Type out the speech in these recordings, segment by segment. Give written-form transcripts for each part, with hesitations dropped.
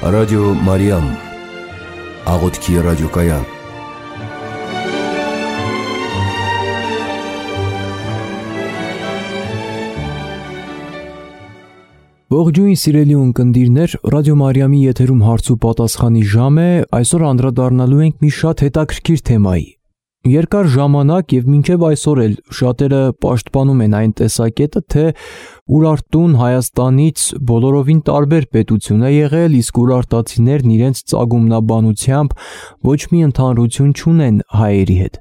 Ռադիո Մարիամ, աղոթքի ռադիոկայան։ Ողջույն սիրելի ունկնդիրներ, Ռադիո Մարիամի եթերում հարց ու պատասխանի ժամ է։ Այսօր անդրադառնալու ենք մի շատ հետաքրքիր թեմայի։ Երկար ժամանակ եւ մինչեւ այսօր էլ շատերը պաշտպանում են այն տեսակետը, թե Ուրարտուն Հայաստանից բոլորովին տարբեր պետություն է եղել, իսկ ուրարտացիներն իրենց ծագումնաբանությամբ ոչ մի ընդհանրություն չունեն հայերի հետ։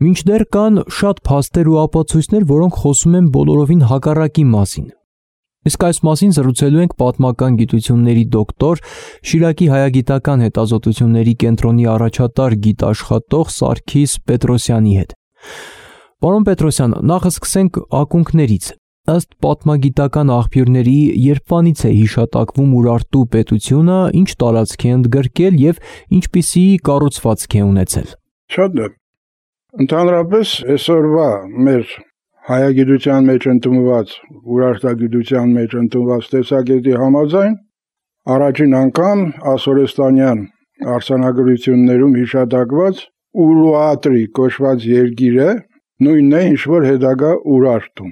Մինչդեռ կան շատ փաստեր ու ապացույցներ, որոնք խոսում են բոլորովին հակառակի մասին։ Իսկ այս մասին զրուցելու ենք պատմական գիտությունների դոկտոր, Շիրակի հայագիտական հետազոտությունների կենտրոնի առաջատար գիտաշխատող Սարգիս Պետրոսյանի հետ։ Պարոն Պետրոսյան, նախ սկսենք ակունքներից։ Ըստ պատմագիտական աղբյուրների, երբանից է հիշատակվում Ուրարտու պետությունը, ինչ տարածք է ընդգրկել եւ ինչպիսի կառուցվածք է ունեցել։ Շատ է։ Ընդհանրապես այսօրվա մեր հայագիտության մեջ ընդունված, ուրարտագիտության մեջ ընդունված տեսակետի համաձայն առաջին անգամ ասորեստանյան արձանագրություններում հիշատակված Ուրուատրի կոչված երկիրը նույնն է, ինչ որ հետագա Ուրարտում։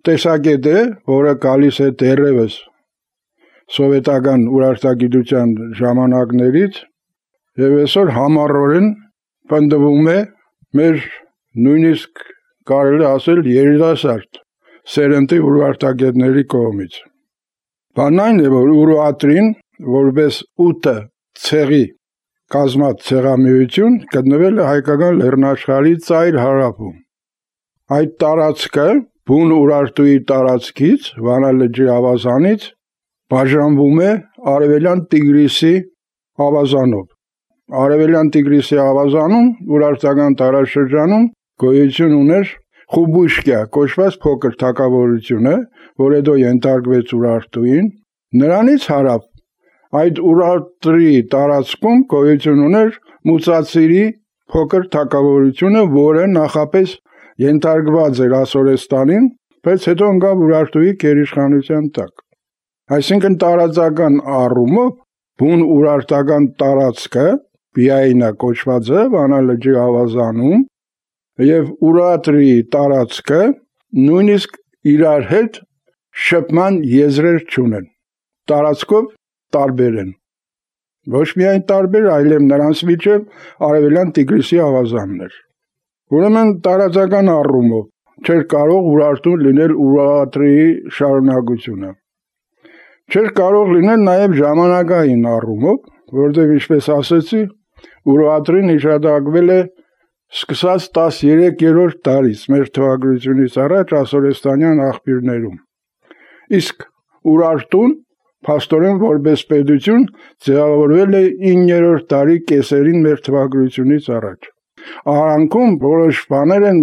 Տեսակետ է, որը գալիս է դեռևս սովետական ուրարտագիտության ժամանակներից եւ այսօր համառորեն պնդվում է մեր նույնիսկ կարելի ասել երիտասարդ սերնդի ուրարտագետների կողմից։ Բանն այն է, որ Ուրուատրին որպես 8 ցեղի կազմած ցեղամիություն գտնվել է հայկական լեռնաշխարհի ծայր հարավում։ Այդ տարածքը բուն Ուրարտուի տարածքից, Վանա լճի ավազանից բաժանվում է Արևելյան Տիգրիսի ավազանով։ Արևելյան Տիգրիսի ավազանում ուրարտական տարածաշրջանում գոյություն ուներ Խուբուշկյա կոչված փոքր թագավորությունը, որ հետո ենթարկվեց Ուրարտուին։ Նրանից հարավ այդ Ուրարտրի տարածքում գոյություն ուներ Մուծացիրի փոքր թագավորությունը, որը նախապես ենթարկված էր Ասորեստանին, բայց հետո ընկավ Ուրարտուի գերիշխանության տակ։ Այսինքն տարածական առումով բուն ուրարտական տարածքը Բիայինա կոչված է Վանա լճի ավազանում եւ Ուրատրի տարածքը նույնիսկ իրար հետ շփման եզրեր չունեն։ Տարածքով տարբեր են։ Ոչ միայն տարբեր, այլև նրանց միջև Արևելյան Տիգրիսի ավազաններ։ Ուրեմն տարածական առումով չէր կարող Ուրարտուն լինել Ուրատրի շարունակությունը։ Չէր կարող լինել նաև ժամանակային առումով, որտեղ ինչպես ասեցի, Ուրատրին հիշատակվել է սկսած 13-րդ դարից մեր թվագրությունից առաջ ասորեստանյան աղբյուրներում։ Իսկ Ուրարտուն փաստորեն որպես պետություն ձևավորվել է 9-րդ դարի կեսերին մեր թվագրությունից առաջ։ Արանքում որոշ բաներ են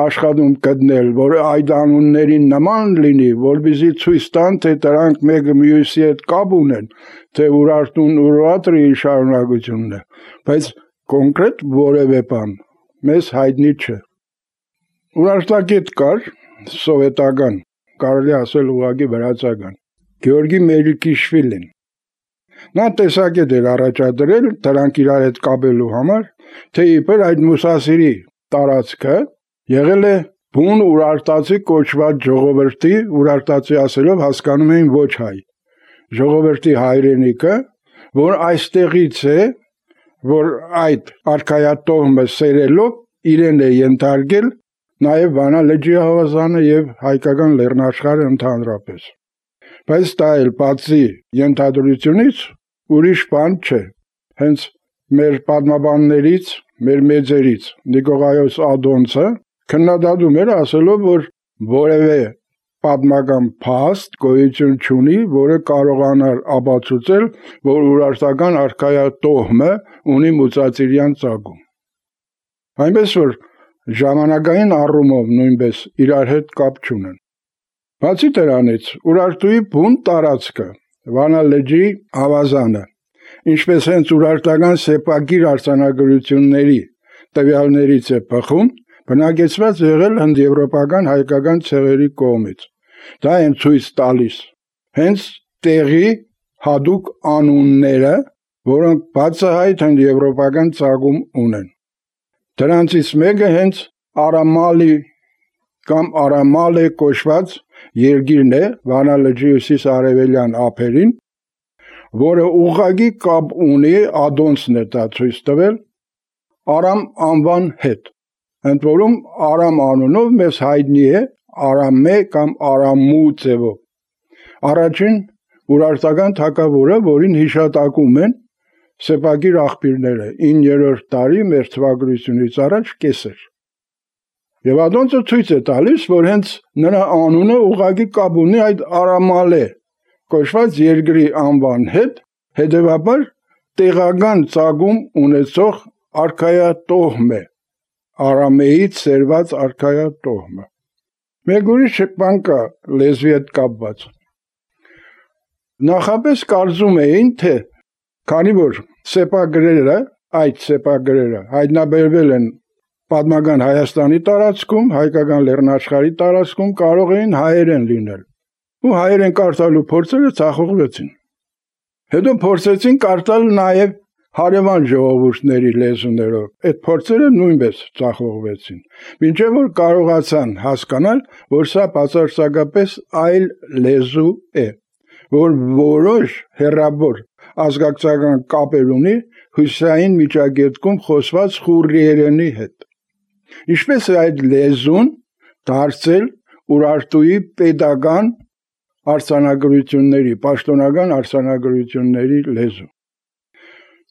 աշխատում գտնել, որ այդ անուններին նման լինի, որպեսզի ցույց տան, թե դրանք մեկը մյուսի հետ կապ ունեն, թե Ուրարտուն Ուրատրի շարունակությունն է, բայց կոնկրետ որևէ բան մեզ հայտնի չէ։ Ուրարտագետ կար սովետական, կարելի ասել ուղղակի վրացական, Գեորգի Մելիքիշվիլին։ Նա տեսակետ էր առաջադրել դրանք իրար հետ կապելու համար, թե իբր այդ Մուսասիրի տարածքը եղել է բուն ուրարտացի կոչված ժողովրդի, ուրարտացի ասելով հասկանում էին ոչ հայ, ժողովրդի հայրենիքը, որ այստեղից է, որ այդ արքայատոհմը սերելով իրեն է ենթարկել նաև Վանա լճի ավազանը եւ հայկական լեռնաշխարհը ընդհանրապես։ Բայց դա էլ բացի ենթադրությունից ուրիշ բան չէ։ Հենց մեր պատմաբաններից, մեր մեծերից Նիկողայոս Ադոնցը քննադատում էր ասելով, որ որևէ պատմական փաստ գոյություն չունի, որը կարողանար ապացուցել, որ ուրարտական արքայատոհմը ունի մուծածիրյան ծագում։ Այնպես որ ժամանակային առումով նույնպես իրար հետ կապ չունեն։ Բացի դրանից, Ուրարտուի բուն տարածքը, Վանա լճի ավազանը, ինչպես հենց ուրարտական սեպագիր արձանագրությունների տվյալներից է բխում, բնակեցված եղել հնդեվրոպական հայկական ցեղերի կողմից։ Դա են ցույց տալիս հենց տեղի հատուկ անունները, որոնք բացահայտ հնդեվրոպական ծագում ունեն։ Դրանցից մեկը հենց Արամալի կամ Արամալե կոչված երկիրն է Վանա լճի հյուսիս-արևելյան ափերին, որը ուղղակի կապ ունի Ադոնցն է դա ցույց տվել Արամ անվան հետ։ Ընդ որում Արամ անունով մեզ հայտնի է Արամե կամ Արամու ձևով։ Առաջին ուրարտական թագավորը, որին հիշատակում են սեպագիր աղբյուրները 9-րդ դարի մեր թվագրությունից առաջ կեսեր։ Եվ Ադոնցը ցույց է տալիս, որ հենց նրա անունը ուղղակի կապ ունի այդ Արամալե կոչված երկրի անվան հետ, հետևաբար տեղական ծագում ունեցող արքայատոհմ է, Արամեից սերված արքայատոհմը։ Մեկ ուրիշ բան կա լեզվի հետ կապված։ Նախապես կարծում էին, թե քանի որ այդ սեպագրերը հայտնաբերվել են պատմական Հայաստանի տարածքում, հայկական լեռնաշխարհի տարածքում, կարող էին հայերեն լինել։ Ու հայերեն կարդալու փորձերը ցախողվեցին։ Հետո փորձեցին կարդալ նաև հարևան ժողովուրդների լեզուներով։ Այդ փորձերը նույնպես ցախողվեցին։ Մինչև որ կարողացան հասկանալ, որ սա բացարձակապես այլ լեզու է, որ որոշ հեռավոր ազգակցական կապեր ունի հյուսիսային միջագետքում խոսված խուրիերենի հետ։ Ինչպես է այդ լեզուն դարձել Ուրարտուի պետական արձանագրությունների, պաշտոնական արձանագրությունների լեզու։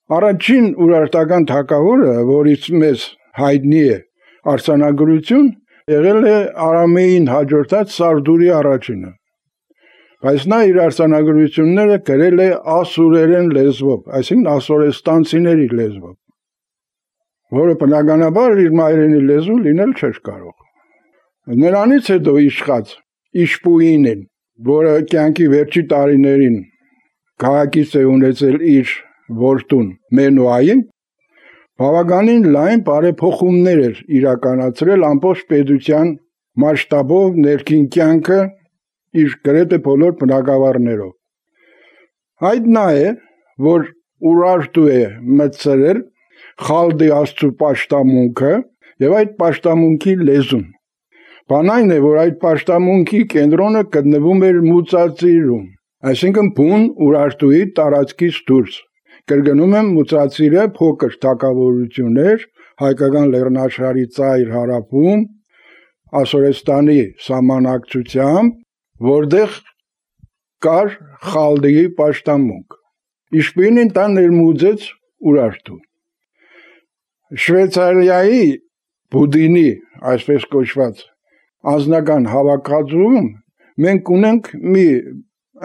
Առաջին ուրարտական թագավորը, որից մեզ հայտնի է արձանագրություն, եղել է Արամեին հաջորդած Սարդուրի առաջինը։ Բայց նա իր արձանագրությունները գրել է ասուրերեն լեզվով, այսինքն ասորեստանցիների լեզվով, որը բնականաբար իր մայրենի լեզու լինել չէր կարող։ Նրանից հետո իշխած Իշպուինին, որը կյանքի վերջի տարիներին քաղաքից է ունեցել իր որդուն Մենուային, բավականին լայն բարեփոխումներ էր իրականացրել ամբողջ պետության մասշտաբով ներքին կյանքը իր գրեթե բոլոր բնակավարներով։ Այդ նա է, որ Ուրարտու է մտցրել Խալդի աստծու պաշտամունքը եւ այդ պաշտամունքի լեզուն։ Բան այն է, որ այդ պաշտամունքի կենտրոնը գտնվում էր Մուծածիրում, այսինքն բուն Ուրարտուի տարածքից դուրս։ Կրկնում եմ, Մուծածիրը փոքր թագավորություն էր հայկական լեռնաշխարհի ծայր հարավում, Ասորեստանի սահմանակցությամբ, որտեղ կար Խալդիի պաշտամունք։ Իշպույնին դա ներմուծեց Ուրարտու։ Շվեյցարիայի Բուդինի, այսպես կոչված, անձնական հավաքածուում մենք ունենք մի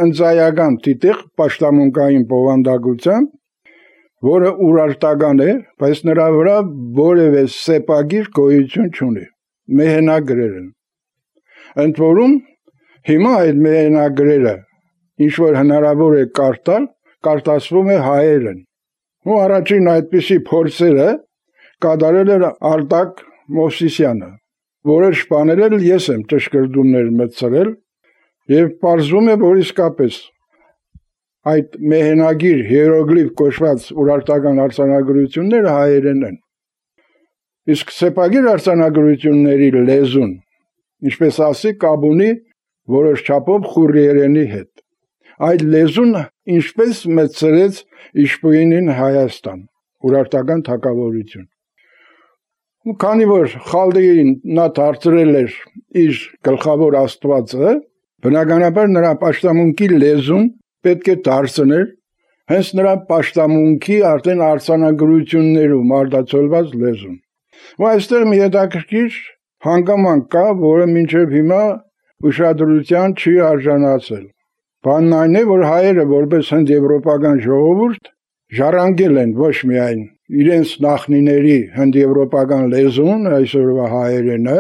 ընծայական տիտեղ պաշտամունքային բովանդակությամբ, որը ուրարտական է, բայց նրա վրա որևէ սեպագիր գոյություն չունի, մեհենագրեր են։ Ընդ որում հիմա այդ մեհենագրերը, ինչ որ հնարավոր է կարդալ, կարտացվում է հայերեն։ Ու առաջին այդպիսի փորձերը կատարել էր Արտակ Մովսիսյանը, որոշ բաներ ես եմ ճշգրտումներ մտցրել եւ պարզվում է, որ իսկապես այդ մեհենագիր հիերոգլիֆ կոչված ուրարտական արձանագրությունները հայերեն են։ Իսկ սեպագիր արձանագրությունների լեզուն, ինչպես ասի, կապ ունի որոշ չափով խուրիերենի հետ։ Այդ լեզուն ինչպես մտցրեց Իշպույինին Հայաստան, ուրարտական թագավորություն։ Ու քանի որ Խալդիին նա դարձրել էր իր գլխավոր աստվածը, բնականաբար նրա պաշտամունքի լեզուն պետք է դարձներ հենց նրա պաշտամունքի արդեն արձանագրություններում արտացոլված լեզուն։ Ու այստեղ մի հետաքրքիր հանգամանք կա, որը մինչև հիմա ուշադրության չի արժանացել։ Բանն այն է, որ հայերը որպես հնդեվրոպական ժողովուրդ ժառանգել են ոչ միայն իրենց նախնիների հնդեվրոպական լեզուն, այսօրվա հայերենը,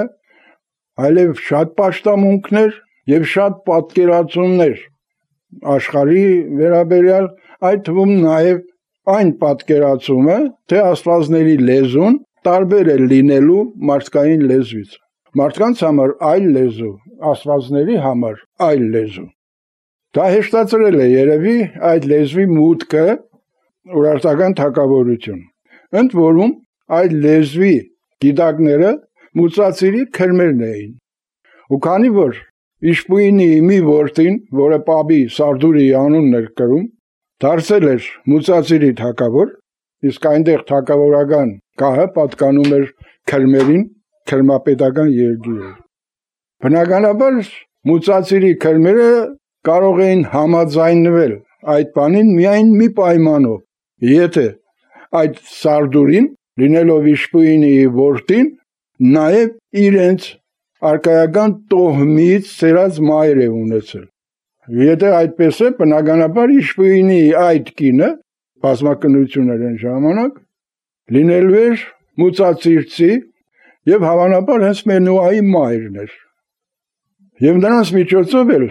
այլև շատ պաշտամունքներ եւ շատ պատկերացումներ աշխարհի վերաբերյալ, այդ թվում նաև այն պատկերացումը, թե աստվածների լեզուն տարբեր է լինելու մարդկային լեզվից։ Մարդկանց համար այլ լեզու, աստվածների համար այլ լեզու։ Դա հեշտացրել է երևի այդ լեզվի մուտքը Ուրարտական թագավորություն։ Ընդ որում այդ լեզվի գիտակները մուծածիրի քրմերն էին։ Ու քանի որ Իշպույնի մի որդին, որը Պաբի Սարդուրի անունն էր կրում, դարձել էր մուծածիրի թագավոր, իսկ այնտեղ թագավորական գահը պատկանում էր քրմերին, քրմապետական երկիր էր։ Բնականաբար մուծածիրի քրմերը կարող էին համաձայնվել այդ բանին միայն մի պայմանով, եթե այդ Սարդուրին, լինելով Իշպույնի որդին, նաև իրենց արկայական տոհմից ծերած մայր է ունեցել։ Եթե այդպես է, բնականաբար Իշպույնի այդ կինը, բազմակնություն էր այն ժամանակ, լինելու էր մուծածիրցի եւ հավանաբար հենց Մենուայի մայրն էր։ Եվ նրանց միջոցով էլ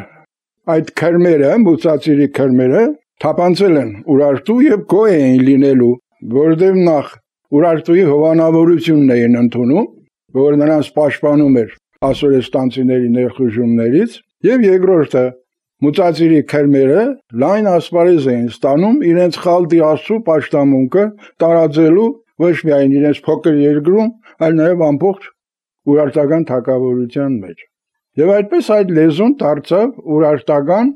այդ քրմերը, մուծածիրի քրմերը թափանցել են Ուրարտու եւ գոյ էին լինելու, որովհետեւ նախ Ուրարտուի հովանավորությունն էին ընդունում, որ նրանց պաշտպանում էր ասորեստանցիների ներխուժումներից, եւ երկրորդը մուծածիրի քրմերը լայն ասպարեզ էին ստանում իրենց խալտի աստծո պաշտամունքը տարածելու ոչ միայն իրենց փոքր երկրում, այլ նաեւ ամբողջ Ուրարտական թագավորության մեջ։ Եվ այդպես այդ լեզուն դարձավ ուրարտական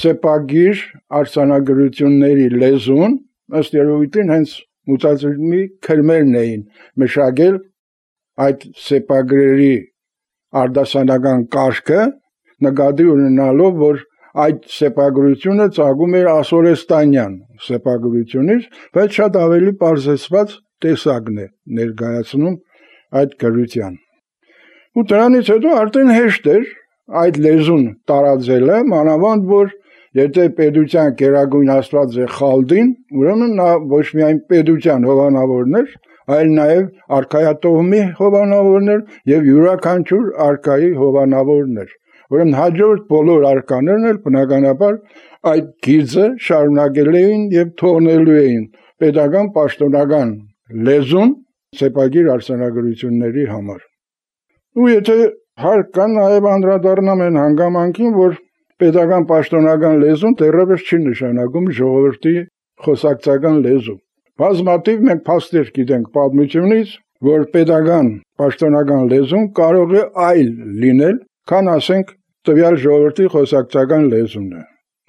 սեպագիր արձանագրությունների լեզուն, ըստ երևույթին հենց մուծածիրի քրմերն էին մշակել այդ սեպագրերի արդասանական կարգը, նկատի ունենալով, որ այդ սեպագրությունը ծագում էր ասորեստանյան սեպագրությունից, բայց շատ ավելի պարզեցված տեսակն է ներկայացնում այդ գրության։ Ու դրանից հետո արդեն հեշտ էր այդ լեզուն տարածելը, մանավանդ որ եթե պետության գերագույն աստված է Խալդին, ուրեմն նա ոչ միայն պետության հովանավորն էր, այլ նաև արքայատոհմի հովանավորն էր եւ յուրաքանչյուր արքայի հովանավորն էր։ Ուրեմն հաջորդ բոլոր արկաներն էլ բնականաբար այդ գիծը շարունակել էին եւ թողնելու էին պետական պաշտոնական լեզուն սեպագիր արձանագրությունների համար։ Ու եթե հարկ կա նաև անդրադառնամ այն հանգամանքին, որ պետական պաշտոնական լեզուն դեռևս չի նշանակում ժողովրդի խոսակցական լեզու։ Բազմաթիվ մենք փաստեր գիտենք պատմությունից, որ պետական պաշտոնական լեզուն կարող է այլ լինել, քան ասենք տվյալ ժողովրդի խոսակցական լեզուն է։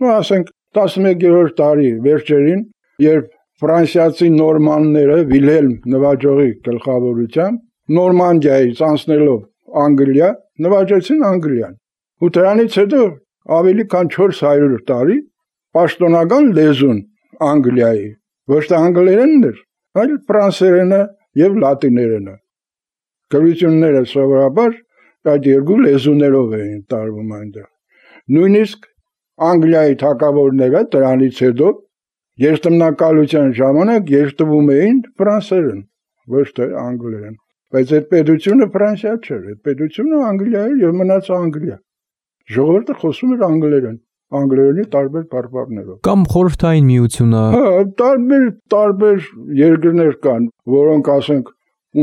Ու ասենք 11-րդ դարի վերջերին, երբ ֆրանսիացի նորմանները Վիլհելմ նվաճողի գլխավորությամբ Նորմանդիայից անցնելով Անգլիա, նվաճեցին Անգլիան։ Ու դրանից հետո ավելի քան 400 տարի պաշտոնական լեզուն Անգլիայի ոչ թե անգլերենն էր, այլ ֆրանսերենը եւ լատիներենը։ Գրությունները սովորաբար այդ երկու լեզուներով էին տարվում այնտեղ։ Նույնիսկ Անգլիայի թագավորները դրանից հետո երթմնակալության ժամանակ երթվում էին ֆրանսերեն, ոչ թե անգլերեն։ Բայց այդ պետությունը Ֆրանսիա չէր, այդ պետությունը Անգլիա էր եւ մնաց Անգլիա։ Ժողովուրդը խոսում էր անգլերեն, անգլերենի տարբեր բարբառներով։ Կամ խորհրդային միությունը։ Տարբեր երկրներ կան, որոնք ասենք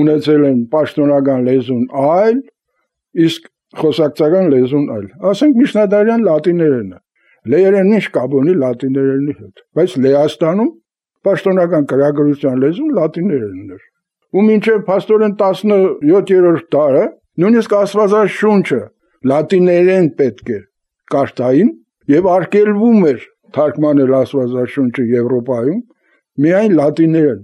ունեցել են պաշտոնական լեզուն այլ, իսկ խոսակցական լեզուն այլ։ Ասենք միջնադարյան լատիներենը։ Լեերենն ինչ կապ ունի լատիներենի հետ։ Բայց Լեհաստանում պաշտոնական գրագրության լեզուն լատիներենն էր։ Ու մինչև փաստորեն 17-րդ դարը նույնիսկ Աստվածաշունչը լատիներեն պետք է կարդային եւ արգելվում էր թարգմանել Աստվածաշունչը Եվրոպայում միայն լատիներեն։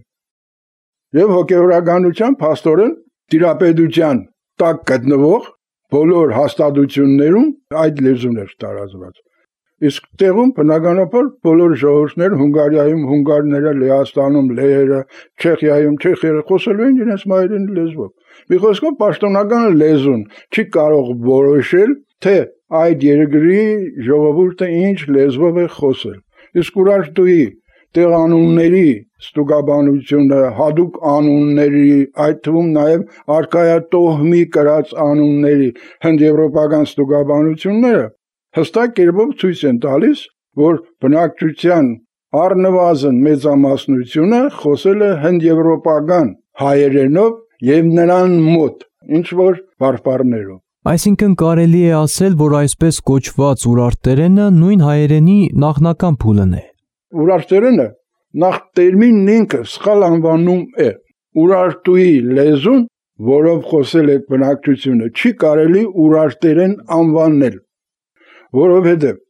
Եվ հոգեվորականության փաստորեն տիրապետության տակ գտնվող բոլոր հաստատություններում այդ լեզուն էր տարածված։ Իսկ տեղում բնականաբար բոլոր ժողովուրդները Հունգարիայում հունգարները, Լեհաստանում լեհերը, Չեխիայում չեխերը խոսելու են իրենց մայրենի լեզվով։ Մի խոսքով պաշտոնական լեզուն չի կարող որոշել, թե այդ երկրի ժողովուրդը ինչ լեզվով է խոսել։ Իսկ Ուրարտուի տեղանունների ստուգաբանությունը, հատուկ անունների, այդ թվում նաև արքայատոհմի կրած անունների հնդեվրոպական ստուգաբանությունները հստակ կերպով ցույց են տալիս, որ բնակչության առնվազն մեծամասնությունը խոսել է հնդեվրոպական հայերենով եւ նրան մոտ ինչ որ բարբառներով։ Այսինքն կարելի է ասել, որ այսպես կոչված ուրարտերենը նույն հայերենի նախնական փուլն է։ Ուրարտերենը նախ տերմինն ինքը սխալ անվանում է։ Ուրարտուի լեզուն, որով խոսել է բնակչությունը, չի կարելի ուրարտերեն անվանել, որովհետև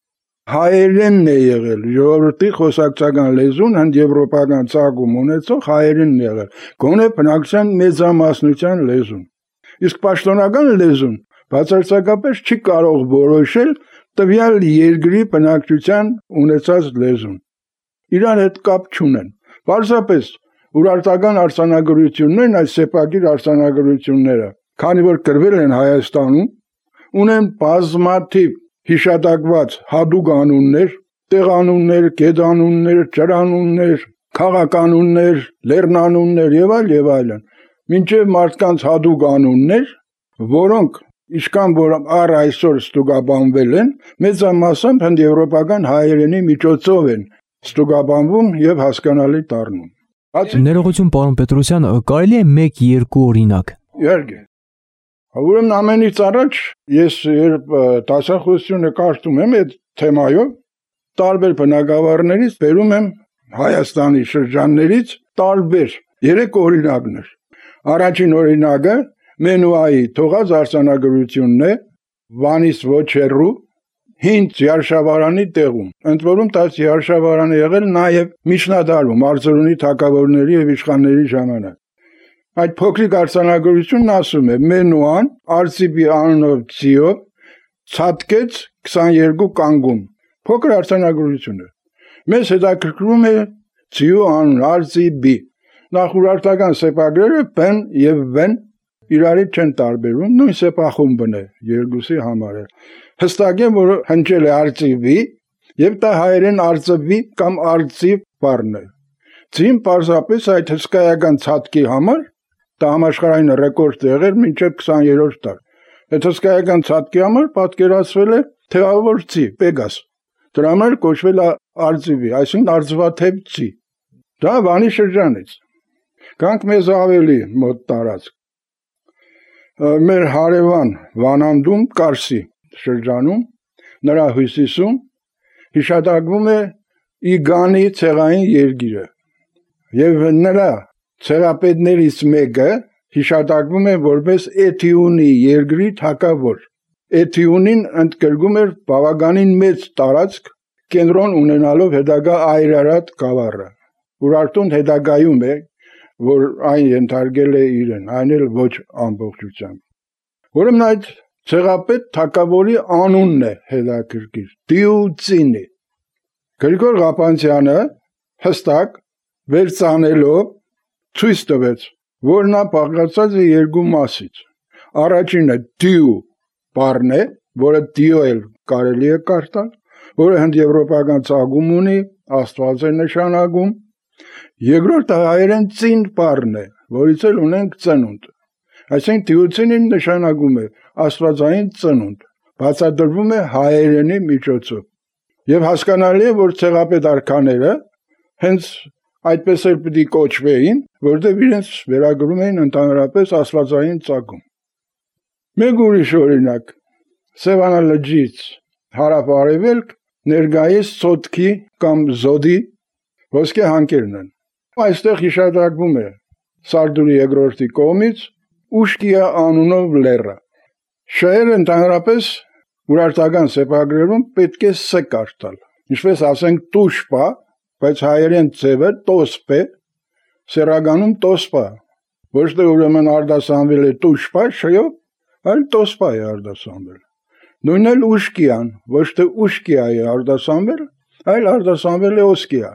հայերենն է եղել, ժողովրդի խոսակցական լեզուն, հնդեվրոպական ծագում ունեցող հայերենն է եղել, գոնե բնակչության մեծամասնության լեզուն։ Իսկ պաշտոնական լեզուն բացարձակապես չի կարող որոշել տվյալ երկրի բնակչության ունեցած լեզուն։ Իրար հետ կապ չունեն։ Պարզապես ուրարտական արձանագրություններն, այս սեպագիր արձանագրությունները, քանի որ գրվել են Հայաստանում, ունեն բազմաթիվ հիշատակված հատուկ անուններ, տեղանուններ, գետանուններ, ջրանուններ, քաղականուններ, լեռնանուններ եւ այլն, մինչև մարդկանց հատուկ անուններ, որոնք Իշքան որ առ այսօր ստուգաբանվել են, մեծամասամբ հնդեվրոպական հայերենի միջոցով են ստուգաբանվում եւ հասկանալի դառնում։ Ներողություն, պարոն Պետրոսյան, կարելի է 1-2 օրինակ։ Իհարկե։ Ուրեմն ամենից առաջ ես երբ դասախոսությունը կարդում եմ այդ թեմայով, տարբեր բնակավարներից բերում եմ Հայաստանի շրջաններից տարբեր 3 օրինակներ։ Առաջին օրինակը Մենուայի թողած արձանագրությունն է Վանից ոչ հեռու հին Յարշավարանի տեղում։ Ընդ որում դա Յարշավարանը եղել նաև միջնադարում Արծրունի թագավորների եւ իշխանների ժամանակ։ Այդ փոքրիկ արձանագրությունն ասում է Մենուան Արծիպի անունով ցիո ցածկեց 22 կանգուն։ Փոքր արձանագրություն է։ Մեզ հետաքրքրում է ցիո անուն Արծիպի։ Նախ ուրարտական սեպագրերը բեն եւ վեն իրարից չեն տարբերվում, նույն սեպախումբն է երկուսի համար է։ Հստակ է, որ հնչել է արծիվի եւ դա հայերեն արծվի կամ արծիվ բառն է։ Ցին պարզապես այդ հսկայական ցածկի համար դա համաշխարհային ռեկորդ եղել մինչև 20-րդ դար։ Այդ հսկայական ցածկի համար պատկերացվել է թեավոր ցի, Պեգաս։ Դրա համար կոչվել է արծիվի, այսինքն արծվաթև ցի։ Դա Վանի շրջանից։ Կանք մեզ ավելի մոտ տարածք։ Մեր հարևան Վանանդում Կարսի շրջանում նրա հյուսիսում հիշատակվում է Իգանի ցեղային երկիրը եւ նրա ցեղապետներից մեկը հիշատակվում է որպես Էթիունի երկրի թագավոր։ Էթիունին ընդգրկում էր բավականին մեծ տարածք կենտրոն ունենալով հետագա Այրարատ գավառը։ Ուրարտուն հետագայում է որ այն ենթարկել է իրեն, այն էլ ոչ ամբողջությամբ։ Ուրեմն այդ ցեղապետ թագավորի անունն է հետաքրքիր, Դիուցինի։ Գրիգոր Ղապանցյանը հստակ վերցանելով ցույց տվեց, որ նա բաղկացած է երկու մասից։ Առաջինը դիու բառն է, որը դիոել կարելի է կարդալ, որը հնդեվրոպական ծագում ունի, Աստված է նշանակում։ Երկրորդը հայերեն ծին բառն է, որից էլ ունենք ծնունդ։ Այսինքն դիուցինին նշանակում է աստվածային ծնունդ, բացատրվում է հայերենի միջոցով։ Եվ հասկանալի է, որ ցեղապետ արքաները հենց այդպես էլ պիտի կոչվեին, որտեղ իրենց վերագրում էին ընդհանրապես աստվածային ծագում։ Մեկ ուրիշ օրինակ, Սևանա լճից հարավ-արևելք ներկայիս Սոտքի կամ Զոդի ոսկե հանկերն են։ Այստեղ հիշատակվում է Սարդուրի երկրորդի կողմից Ուշկիա անունով լեռը։ Շահերը ընդհանրապես ուրարտական սեպագրերում պետք է ս կարդալ։ Ինչպես ասենք տուշպա, բայց հայերեն ձևը տոսպե, սերագանում տոսպա։ Ոչ թե ուրեմն արտասանվել է տուշպա, շյով, այլ տոսպա է արտասանվել։ Նույնն էլ ուշկիան, ոչ թե ուշկիա է արտասանվել, այլ արտասանվել է օսկիա։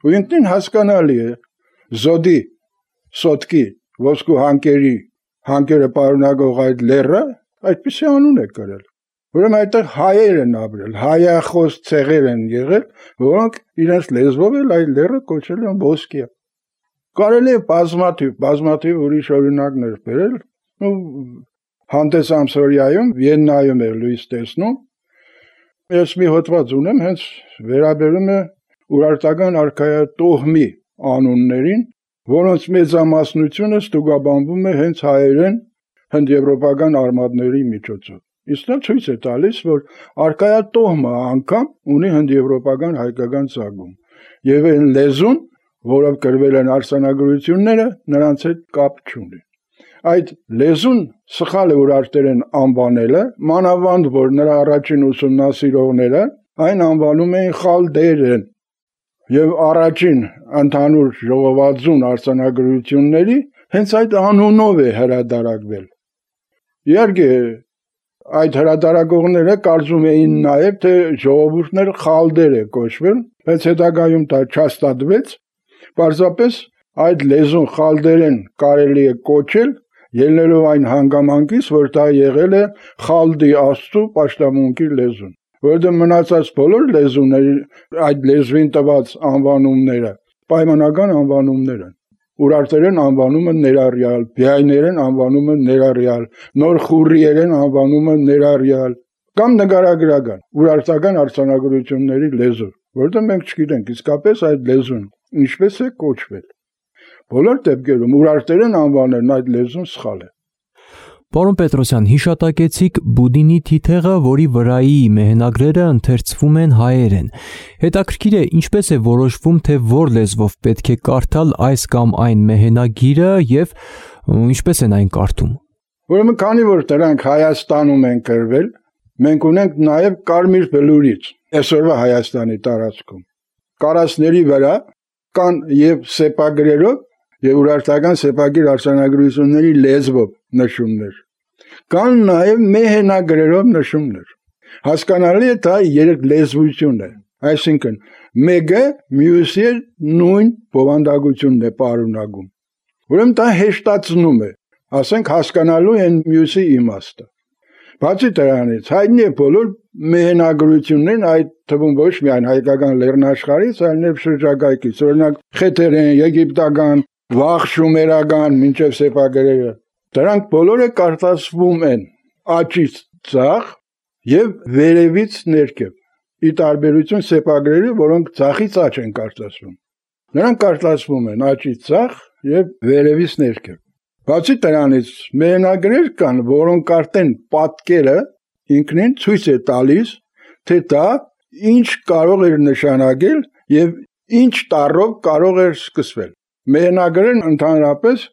Ու ինքնին հասկանալի է Զոդի, Սոտքի, ոսկու հանկերը պարունակող այդ լեռը այդպիսի անուն է կրել։ Ուրեմն այդտեղ հայեր են ապրել, հայախոս ցեղեր են եղել, որոնք իրենց լեզվով էլ այդ լեռը կոչել են ոսկիա։ Կարելի է բազմաթիվ ուրիշ օրինակներ բերել, ու հանդես ամսորիայում, Վիեննայում է լույս տեսնում։ Ես մի հոդված ունեմ, հենց վերաբերում է ուրարտական արքայատոհմի անուններին, որոնց մեծամասնությունը ստուգաբանվում է հենց հայերեն հնդեվրոպական արմատների միջոցով։ Իսկ դա ցույց է տալիս, որ արկայատոհմը անգամ ունի հնդեվրոպական հայկական ծագում, եւ այն լեզուն, որով գրվել են արձանագրությունները, նրանց հետ կապ չունի։ Այդ լեզուն սխալ է ուրարտերեն անվանելը, մանավանդ որ նրա առաջին ուսումնասիրողները այն անվանում էին խալդերեն, եւ առաջին ընդհանուր ժողովածուն արձանագրությունների հենց այդ անունով է հրադարակվել։ Իհարկե, այդ հրադարակողները կարծում էին նաև, թե ժողովուրդներ խալդեր է կոչվել, բայց հետագայում դա չհաստատվեց, պարզապես այդ լեզուն խալդերեն կարելի է կոչել, ելնելով այն հանգամանքից, որ դա եղել է խալդի աստծու պաշտամունքի լեզուն, որովհետև մնացած բոլոր լեզուների այդ լեզվին տված անվանումները պայմանական անվանումներ են։ Ուրարտերեն անվանումը ներառյալ, բյայներեն անվանումը ներառյալ, նոր խուրիերեն անվանումը ներառյալ, կամ նկարագրական, ուրարտական արձանագրությունների լեզու, որովհետև մենք չգիտենք իսկապես այդ լեզուն ինչպես է կոչվել։ Բոլոր դեպքերում ուրարտերեն անվանելն այդ լեզուն սխալ է։ Պարոն Պետրոսյան, հիշատակեցիք Բուդինի թիթեղը, որի վրայի մեհնագրերը ընթերցվում են հայերեն։ Հետաքրքիր է, ինչպես է որոշվում, թե որ լեզվով պետք է կարդալ այս կամ այն մեհնագիրը եւ ինչպես են այն կարդում։ Ուրեմն քանի որ դրանք Հայաստանում են գրվել, մենք ունենք նաեւ կարմիր բլուրից, այսօրվա Հայաստանի տարածքում։ Կարասների վրա կան եւ սեպագրերով եւ ուրարտական սեպագիր արձանագրությունների լեզվով նշումներ, կան նաեւ մեհենագրերով նշումներ։ Հասկանալի է դա երեք լեզվություն է, այսինքն մեկը մյուսի նույն բովանդակությունն է պարունակում։ Ուրեմն դա հեշտացնում է, ասենք հասկանալու են մյուսի իմաստը։ Բացի դրանից հայտնի է բոլոր մեհենագրություններն, այդ թվում ոչ միայն հայկական լեռնաշխարհից, այլև շրջակայքից, օրինակ խեթերեն, եգիպտական, վաղ շումերական, մինչև սեպագրերը, դրանք բոլորը կարդացվում են աճից ձախ եւ վերևից ներքև, ի տարբերություն սեպագրերի, որոնք ձախից աճ են կարդացվում։ Նրանք կարդացվում են աճից ձախ եւ վերևից ներքև։ Բացի դրանից մեհնագրեր կան, որոնք արդեն պատկերը ինքնին ցույց է տալիս, թե դա ինչ կարող էր նշանակել եւ ինչ տառով կարող էր սկսվել։ Մեհնագրերն ընդհանրապես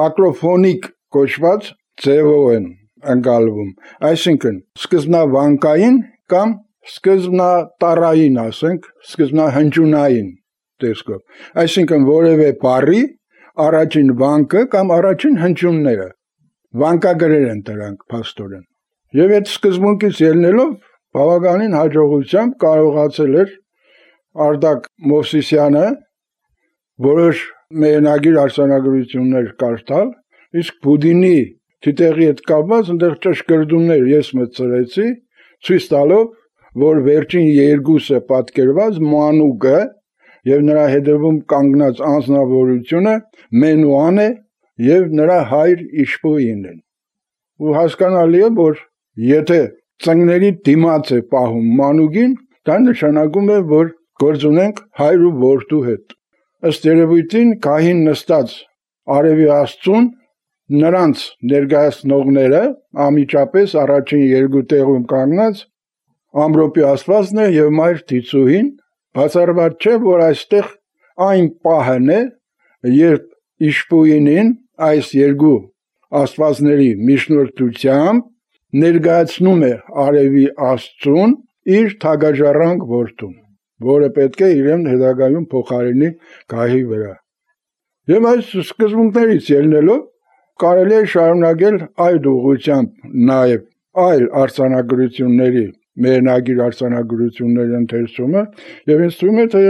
ակրոֆոնիկ կոչված ձևով են ընկալվում, այսինքն սկզբնավանկային կամ սկզբնատառային, ասենք, սկզբնահնչյունային տեսքով, այսինքն որևէ բառի առաջին վանկը կամ առաջին հնչյունները, վանկագրեր են դրանք փաստորեն։ Եվ այդ սկզբունքից ելնելով բավականին հաջողությամբ կարողացել էր Արտակ Մովսիսյանը որոշ մեհնագիր արձանագրություններ կարդալ, իսկ Բուդինի թիթեղի հետ կապված այնտեղ ճշգրտումներ ես մտցրեցի, ցույց տալով, որ վերջին երկուսը պատկերված մանուկը եւ նրա հետևում կանգնած անձնավորությունը Մենուան է եւ նրա հայր Իշպոին են։ Ու հասկանալի է, որ եթե ծնկների դիմաց է պահում մանուկին, դա նշանակում է, որ գործ ունենք հայր ու որդու հետ։ Ըստ երևույթին գահին նստած արևի աստծուն նրանց ներկայացնողները ամիջապես առաջին երկու տեղում կանգնած ամրոպի աստվածն է եւ մայր Տիցուհին, բացառված չէ, որ այստեղ այն պահն է, երբ Իշպոինին այս երկու աստվածների միջնորդությամբ ներկայացնում է արևի աստծուն իր թագաժառանգ որդուն, որը պետք է իրեն հետագայում փոխարինի գահի վրա։ Եվ այս սկզբունքներից ելնելով կարելի է շարունակել այդ ուղղությամբ նաև այլ արձանագրությունների, մեհնագիր արձանագրությունների ընթերցումը, եւ ինձ թվում է, թե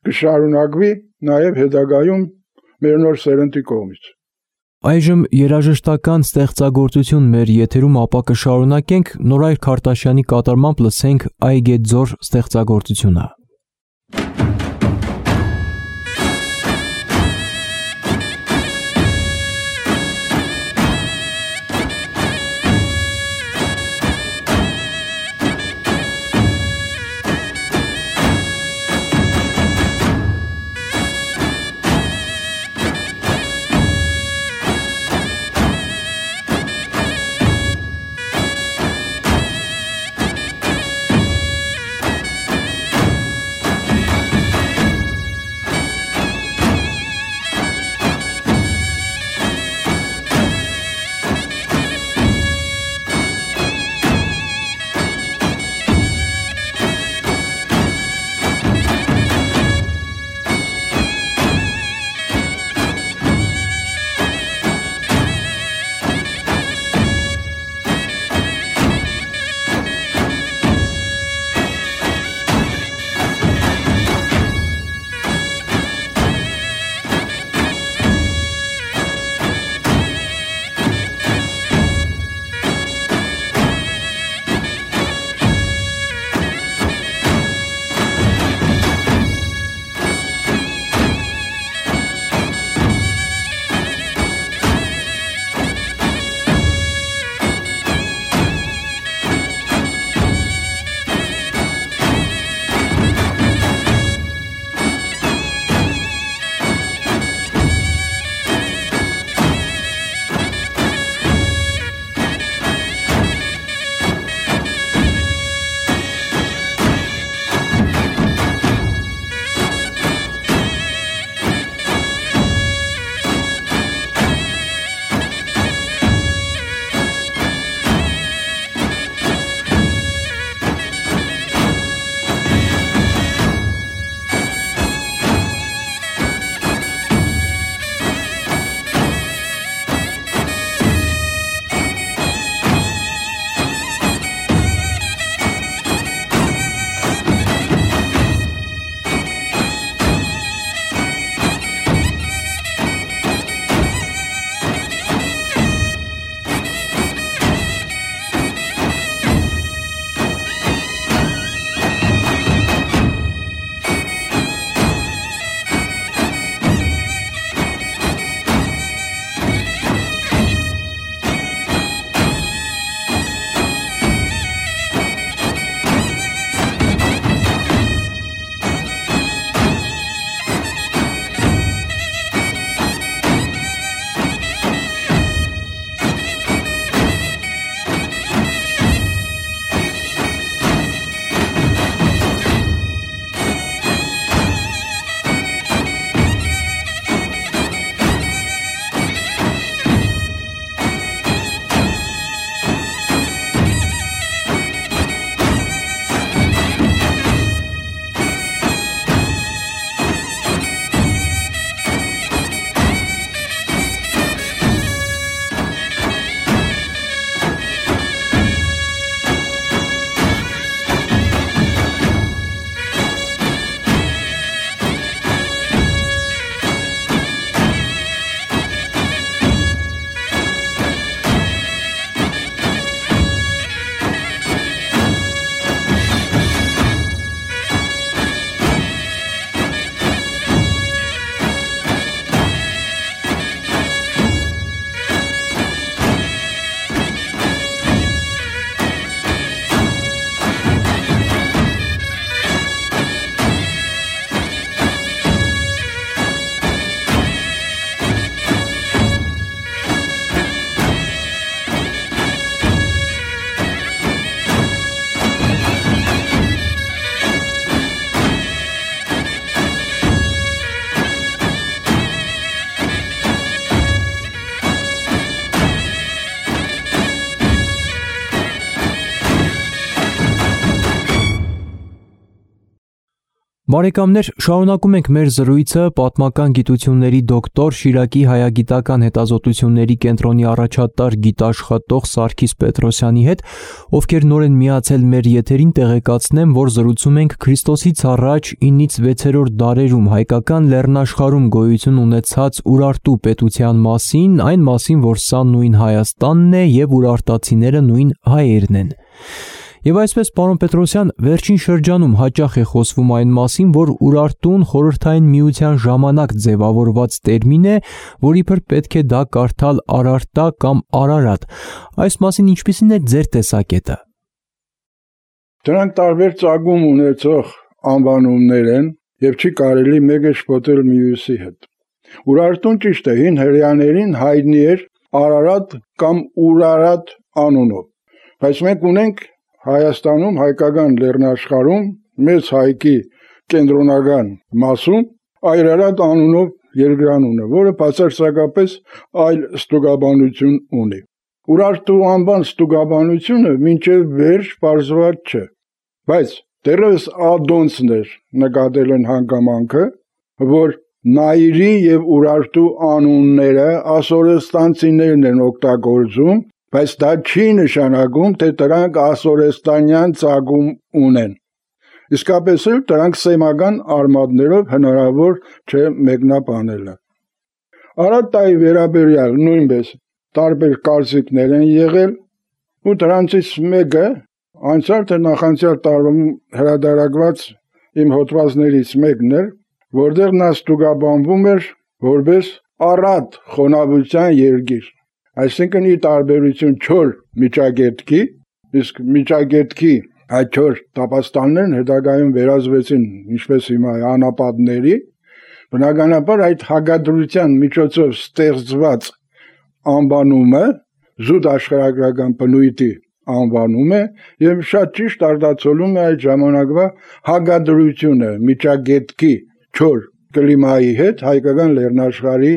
կշարունակվի նաև հետագայում մեր նոր սերնդի կողմից։ Այժմ երաժշտական ստեղծագործություն մեր եթերում, ապա կշարունակենք Նորայր Քարտաշյանի կատարմամբ լսենք Այգեձոր ստեղծագործությունը։ Բարեկամներ, շարունակում ենք մեր զրույցը պատմական գիտությունների դոկտոր Շիրակի հայագիտական հետազոտությունների կենտրոնի առաջատար գիտաշխատող Սարգիս Պետրոսյանի հետ, ովքեր նոր են միացել մեր եթերին, տեղեկացնեմ, որ զրուցում ենք Քրիստոսից առաջ 9-ից 6-րդ դարերում հայկական լեռնաշխարհում գոյություն ունեցած Ուրարտու պետության մասին, այն մասին, որ սա նույն Հայաստանն է եւ ուրարտացիները նույն հայերն են։ Եվ այսպես, պարոն Պետրոսյան, վերջին շրջանում հաճախ է խոսվում այն մասին, որ Ուրարտուն Խորհրդային Միության ժամանակ ձևավորված տերմին է, որ իբր պետք է դա կարդալ Արարտա կամ Արարատ։ Այս մասին ինչպիսին է ձեր տեսակետը։ Դրանք տարբեր ծագում ունեցող անվանումներ են եւ չի կարելի մեկը շփոթել մյուսի հետ։ Ուրարտուն ճիշտ է, հին հրեաներին հայտնի էր Արարատ կամ Ուրարատ անունով, բայց մենք ունենք Հայաստանում հայկական լեռնաշխարհում մեծ հայքի կենտրոնական մասում Այրարատ անունով երկրանունը, որը բացարձակապես այլ ստուգաբանություն ունի։ Ուրարտու անվան ստուգաբանությունը մինչև վերջ պարզված չէ, բայց դեռևս ադոնցն էր նկատել են հանգամանքը, որ Նայիրի եւ Ուրարտու անունները ասորեստանցիներն են օգտագործում, բայց դա չի նշանակում, թե դրանք ասորեստանյան ծագում ունեն։ Իսկապես էլ դրանք սեմական արմատներով հնարավոր չէ մեկնաբանելը։ Արարտայի վերաբերյալ նույնպես տարբեր կարծիքներ են եղել, ու դրանցից մեկը անցյալ թե նախանցյալ տարում հրատարակված իմ հոդվածներից մեկն էր, որտեղ նա ստուգաբանվում էր որպես Արատ խոնավության երկիր։ Այսինքն ի տարբերություն չոր միջագետքի, իսկ միջագետքի այդ չոր տապաստաններն հետագայում վերածվեցին, ինչպես հիմա անապատների, բնականաբար այդ հագադրության միջոցով ստեղծված անվանումը զուտ աշխարհագրական բնույթի անվանում է եւ շատ ճիշտ արտացոլում է այդ ժամանակվա հագադրությունը միջագետքի չոր կլիմայի հետ հայկական լեռնաշխարհի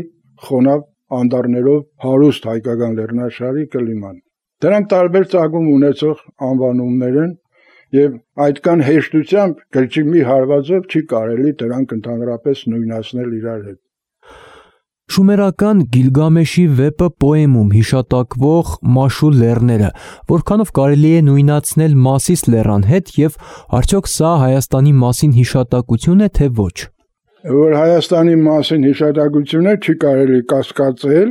խոնավ անդառներով հարուստ հայկական լեռնաշխարհի կլիման։ Դրանք տարբեր ծագում ունեցող անվանումներ են եւ այդքան հեշտությամբ գրչի մի հարվածով չի կարելի դրանք ընդհանրապես նույնացնել իրար հետ։ Շումերական Գիլգամեշի վեպը պոեմում հիշատակվող Մաշու լեռները, որքանով կարելի է նույնացնել Մասիս լեռան հետ եւ արդյոք սա Հայաստանի մասին հիշատակություն է թե ոչ։ Որ Հայաստանի մասին հիշատակություն է, չի կարելի կասկածել,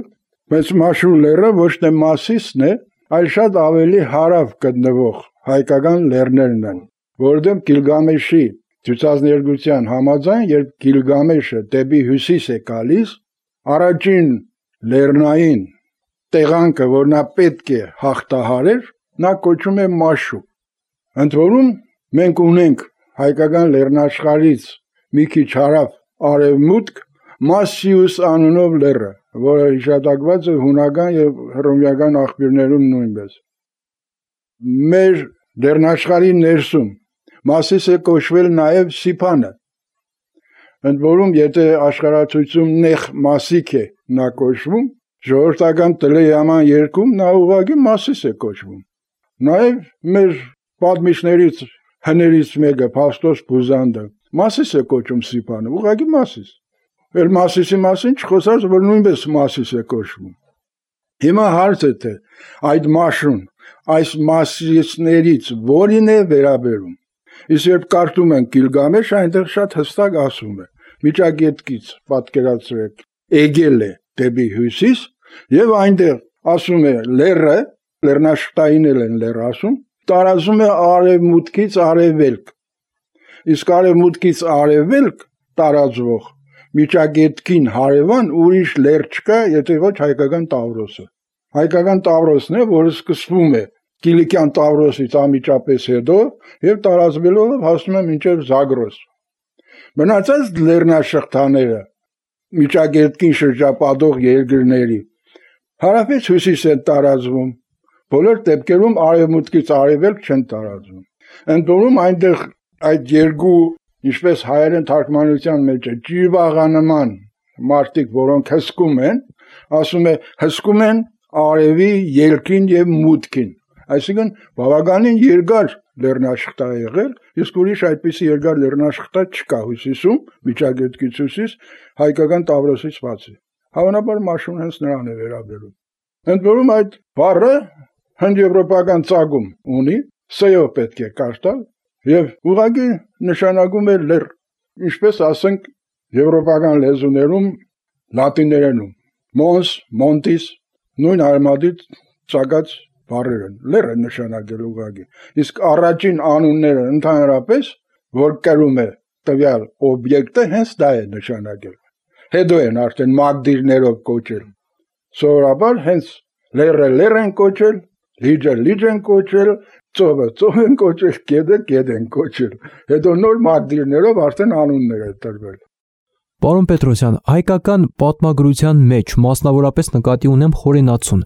բայց Մաշու լեռը ոչ թե Մասիսն է, այլ շատ ավելի հարավ գտնվող հայկական լեռներն են, որտեղ Գիլգամեշի ցուցասներգության համաձայն, երբ Գիլգամեշը դեպի հյուսիս է գալիս, առաջին լեռնային տեղանքը, որ նա պետք է հաղթահարեր, նա կոչում է Մաշու։ Ընդ որում մենք ունենք հայկական լեռնաշխարհից մի քիչ հարավ արևմուտք Մասիուս անունով լեռը, որը հիշատակված է հունական եւ հռոմեական աղբյուրներում նույնպես։ Մեր լեռնաշխարհի ներսում Մասիս է կոչվել նաեւ Սիփանը։ Ընդ որում եթե աշխարհացույցում նեղ Մասիկ է նա կոչվում, ժողովրդական տելեհաման երկում նա ուղղակի Մասիս է կոչվում։ Նաեւ մեր պատմիչներից հներից մեկը Փաստոս Բուզանդը Մասիս է կոչում Սիփանը, ուղղակի Մասիս։ Էլ Մասիսի մասին չխոսած, որ նույնպես Մասիս է կոչվում։ Հիմա հարցը թե այդ Մաշուն այս Մասիսներից որին է վերաբերում։ Իսկ երբ կարդում են Գիլգամեշ, այնտեղ շատ հստակ ասում է. միջագետքից պատկերացրեք Էգել է դեպի հյուսիս եւ այնտեղ ասում է լեռը, լեռնաշտային են լեռ ասում, տարածում է արևմուտքից արևելք։ Իսկ արևմուտքից արևելք տարածվող միջագետքին հարևան ուրիշ լեռ չկա, եթե ոչ հայկական Տավրոսը։ Հայկական Տավրոսն է, որը սկսվում է Կիլիկյան Տավրոսից անմիջապես հետո եւ տարածվելով հասնում է մինչեւ Զագրոս։ Մնացած լեռնաշղթաները միջագետքին շրջապատող երկրների հարավից հյուսիս են տարածվում, բոլոր դեպքերում արևմուտքից արևելք չեն տարածվում։ Ընդ որում այնտեղ այդ երկու, ինչպես հայերեն թարգմանության մեջ է, ջիվաղանման մարդիկ, որոնք հսկում են, ասում է հսկում են արևի ելքին եւ մուտքին։ Այսինքն բավականին երկար լեռնաշխտա է եղել, իսկ ուրիշ այդպիսի երկար լեռնաշխտա չկա Հյուսիսում, Միջագետքի Հյուսիս, հայկական Տավրոսից բացի։ Հավանաբար մաշուն հենց նրան է վերաբերում։ Ընդ որում այդ բառը հնդեվրոպական ծագում ունի, սեյով պետք է կարդալ, եւ ուղղակի նշանակում է լեռ, ինչպես ասենք եվրոպական լեզուներում լատիներենում, mons, montis, նույն արմադից ծագած բառեր են, լեռ է նշանակել ուղղակի։ Իսկ առաջին անունները ընդհանրապես, որ կրում է տվյալ օբյեկտը, հենց դա է նշանակել։ Հետո են արդեն մագդիրներով կոչել։ Սովորաբար հենց լեռը լեռ են կոչել, լիճը լիճ են կոչել, ծովը ծով են կոչել, գեդը են կոչել։ Հետո նոր մագդիրներով արդեն անուններ է տրվել։ Պարոն Պետրոսյան, հայկական պատմագրության մեջ, մասնավորապես նկատի ունեմ Խորենացուն,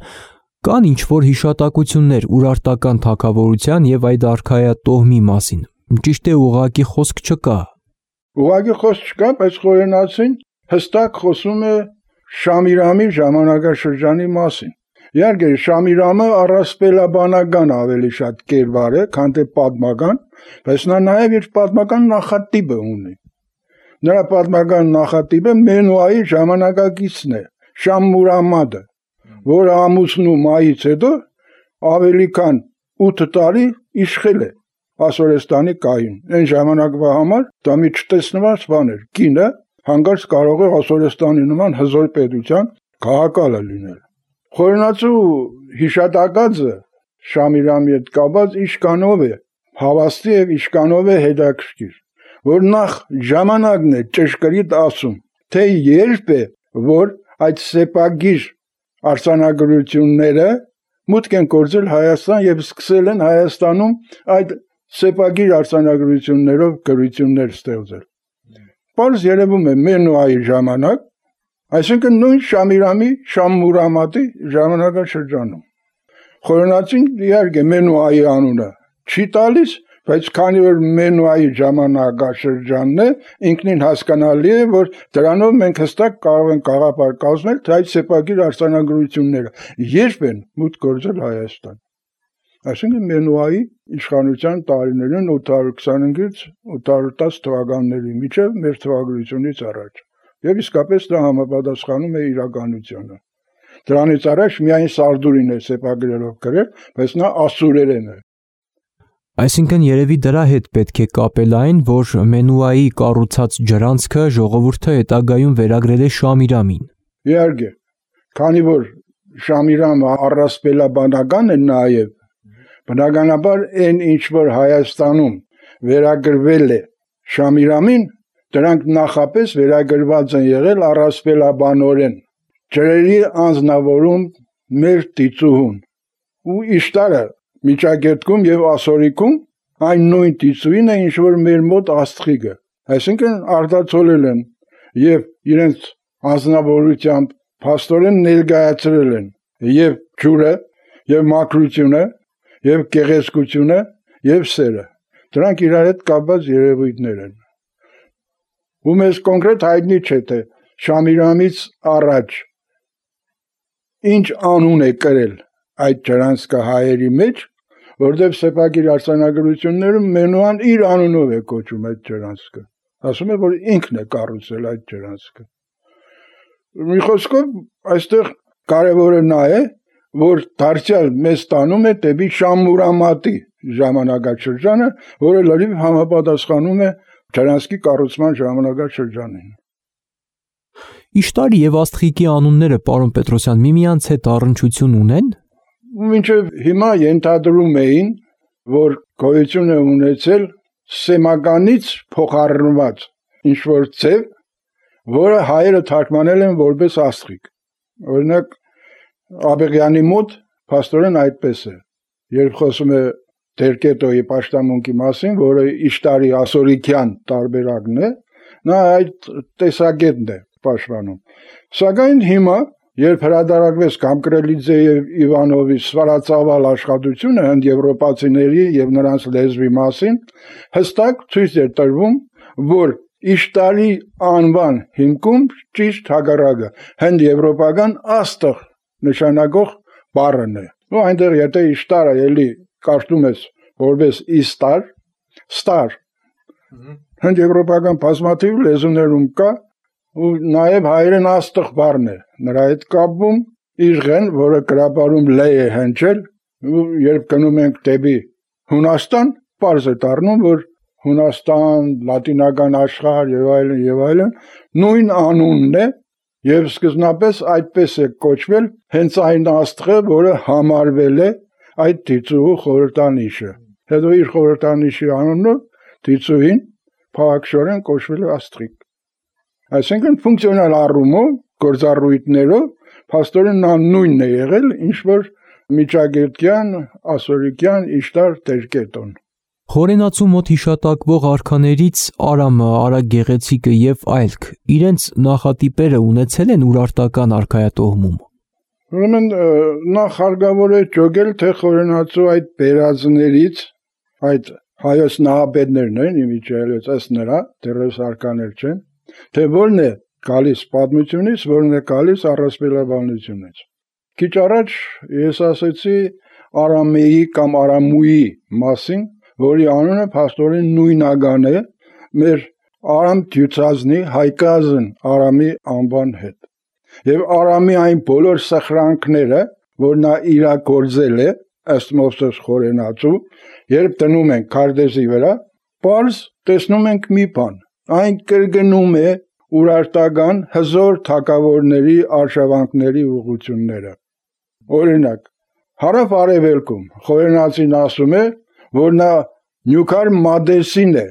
կան ինչ-որ հիշատակություններ Ուրարտական թագավորության եւ այդ արքայատոհմի մասին։ Ճիշտ է, ուղղակի խոսք չկա։ Ուղղակի խոսք չկա, բայց Խորենացին հստակ խոսում է Շամիրամի ժամանակաշրջանի մասին։ Իհարկե, Շամիրամը առասպելաբանական ավելի շատ կերպար է, քան թե պատմական, բայց նա նաև իր պատմական նախատիպը ունի։ Նրա պատմական նախատիպը Մենուայի ժամանակակիցն է, Շամմուրամադը, որը ամուսնու մայից հետո ավելի քան 8 տարի իշխել է Ասորեստանի կայուն։ Այն ժամանակվա համար դա մի չտեսնված բան էր։ Կինը հանկարծ կարող է Ասորեստանի նման հզոր պետության քաղաքալը լինել։ Խորենացու հիշատակածը Շամիրամի հետ կապված իշկանով է, հավաստի եւ իշկանով է հետաքրքիր, որ նախ ժամանակն է ճշգրիտ ասում, թե երբ է, որ այդ սեպագիր արձանագրությունները մուտք են գործել Հայաստան եւ սկսել են Հայաստանում այդ սեպագիր արձանագրություններով գրություններ ստեղծել։ Պարզ երևում է Մենուայի ժամանակ, այսինքն նույն Շամիրամի Շամմուրամատի ժամանակաշրջանում։ Խորենացին իհարկե Մենուայի անունը չի տալիս, բայց քանի որ Մենուայի ժամանակաշրջանն է, ինքնին հասկանալի է, որ դրանով մենք հստակ կարող ենք գաղափար կազմել, թե այդ սեպագիր արձանագրությունները երբ են մուտք գործել Հայաստան։ Այսինքն Մենուայի իշխանության տարիներին 825-ից 810 թվականների միջև մեր թվագրությունից առաջ։ Եվ իսկապես դա համապատասխանում է իրականությանը։ Դրանից առաջ միայն Սարդուրին է սեպագրերով գրել, բայց նա ասուրերեն է։ Այսինքն երևի դրա հետ պետք է կապել այն, որ Մենուայի կառուցած ջրանցքը ժողովուրդը հետագայում վերագրել է Շամիրամին։ Իհարկե, քանի որ Շամիրամը առասպելաբանական է նաև, բնականաբար այն ինչ որ Հայաստանում վերագրվել է Շամիրամին, դրանք նախապես վերագրված են եղել առասպելաբանորեն։ Ջրերի անձնավորում մեր տիծուհուն ու Իշտարը Միջագետքում եւ Ասորիքում այն նույն տիծուին է, ինչ որ մեր մոտ Աստղիկը։ Այսինքն արտացոլել են եւ իրենց անձնավորությամբ փաստորեն ներկայացրել են եւ ջուրը, եւ մաքրությունը, եւ գեղեցկությունը, եւ սերը։ Դրանք իրար հետ կապված երևույթներ են։ Ու մեզ կոնկրետ հայտնի չէ թե Շամիրամից առաջ ինչ անուն է կրել այդ ջրանցքը հայերի մեջ, որտեղ սեպագիր արձանագրություններում Մենուան իր անունով է կոչում այդ ջրանցքը։ Ասում է, որ ինքն է կառուցել այդ ջրանցքը։ Մի խոսքով, այստեղ կարևորը նա է, որ դարձյալ մեզ տանում է դեպի Շամմուրամատի ժամանակաշրջանը, որը լրիվ համապատասխանում է ջրանցքի կառուցման ժամանակաշրջանին։ Իշտարի եւ Աստղիկի անունները, պարոն Պետրոսյան, միմյանց հետ առնչություն ունեն։ Մինչև հիմա ենթադրում էին, որ գոյություն է ունեցել սեմականից փոխառնված ինչ-որ ձև, որը հայերը թարգմանել են որպես աստղիկ։ Օրինակ Աբեղյանի մոտ փաստորեն այդպես է։ Երբ խոսում է Դերկետոյի պաշտամունքի մասին, որը Իշտարի ասորիկյան տարբերակն է, նա այդ տեսակետն է պաշտպանում։ Սակայն հիմա երբ հրատարակվեց Կամկրելիձե եւ Իվանովի սվարածավալ աշխատությունը հնդեվրոպացիների եւ նրանց լեզվի մասին, հստակ ցույց է տրվում, որ Իշտարի անվան հիմքում ճիշտ հակառակը հնդեվրոպական աստղ նշանակող բառն է։ ու այնտեղ եթե իշտարը էլի կարդում ես որպես իստար, ստար, հնդեվրոպական բազմաթիվ լեզուներում կա ու նաև հայերեն աստղ բառն է նրա հետ կապվում իժղեն, որը գրաբարում լե է հնչել ու երբ գնում ենք դեպի Հունաստան, պարզ է դառնում, որ Հունաստան, լատինական աշխարհ եւ այլն նույն անունն է եւ սկզբնապես այդպես է կոչվել հենց այն աստղը, որը համարվել է այդ դիցուհու խորհրդանիշը։ Հետո իր խորհրդանիշի անունով դիցուհին փաղաքշորեն կոչվել է աստղիկ։ Այսինքն ֆունկցիոնալ առումով գործառույթներով փաստորեն նա նույնն է եղել, ինչ որ միջագետյան, ասորիկյան, իշտար տերկետոն։ Խորենացու մոտ հիշատակվող արքաներից Արամը, Արագեղեցիկը եւ այլք իրենց նախատիպերը ունեցել են ուրարտական արքայատոհմում։ Ուրեմն նախ հարկավոր է ճոգել, թե խորենացու այդ բերածներից, այդ հայոց նահապետներն են, իմիջայելից ըստ նրա, դեռևս արկաներ չեն, թե որն է գալիս պատմությունից, որն է գալիս առասպելաբանությունից։ Քիչ առաջ ես ասեցի Արամեի կամ Արամուի մասին, որի անունը փաստորեն նույնական է մեր Արամ Դյուծազնի հայկազն Արամի անվան հետ։ Եվ Արամի այն բոլոր սխրանքները, որ նա իրագործել է, ըստ Մովսես Խորենացու, երբ դնում ենք քարտեզի վրա, պարզ տեսնում ենք մի բան, այն կրկնում է ուրարտական հզոր թագավորների արշավանքների ուղղությունները։ Օրինակ, հարավ-արևելքում Խորենացին ասում է, որ նա Նյուքար Մադեսին է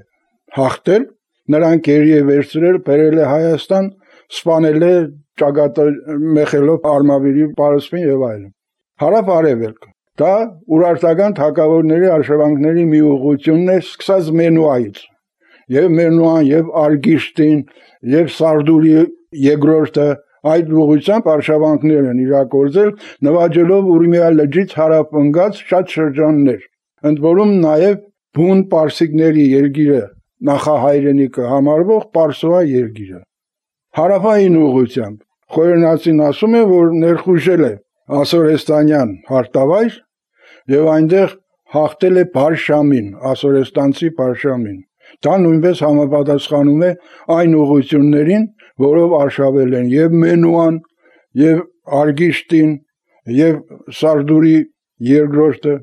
հաղթել, նրան կերի է վերցրել, բերել է Հայաստան, սպանել է ճակատը մեխելով Արմավիրի պարսպին եւ այլն։ Հարավ-արևելք, դա ուրարտական թագավորների արշավանքների մի ուղղությունն է, սկսած Մենուայից։ Եվ Մենուան, եւ Արգիշտին, եւ Սարդուրի երկրորդը այդ ուղղությամբ արշավանքներ են իրագործել, նվաճելով Ուրմիա լճից հարավ ընկած շատ շրջաններ, ընդ որում նաև բուն պարսիկների երկիրը նախահայրենիքը համարվող Պարսուա երկիրը։ Հարավային ուղղությամբ Խորենացին ասում է, որ ներխուժել է ասորեստանյան հարտավայր եւ այնտեղ հաղթել է Բարշամին, ասորեստանցի Բարշամին։ Դա նույնպես համապատասխանում է այն ուղղություններին, որով արշավել են եւ Մենուան, եւ Արգիշտին, եւ Սարդուրի երկրորդը։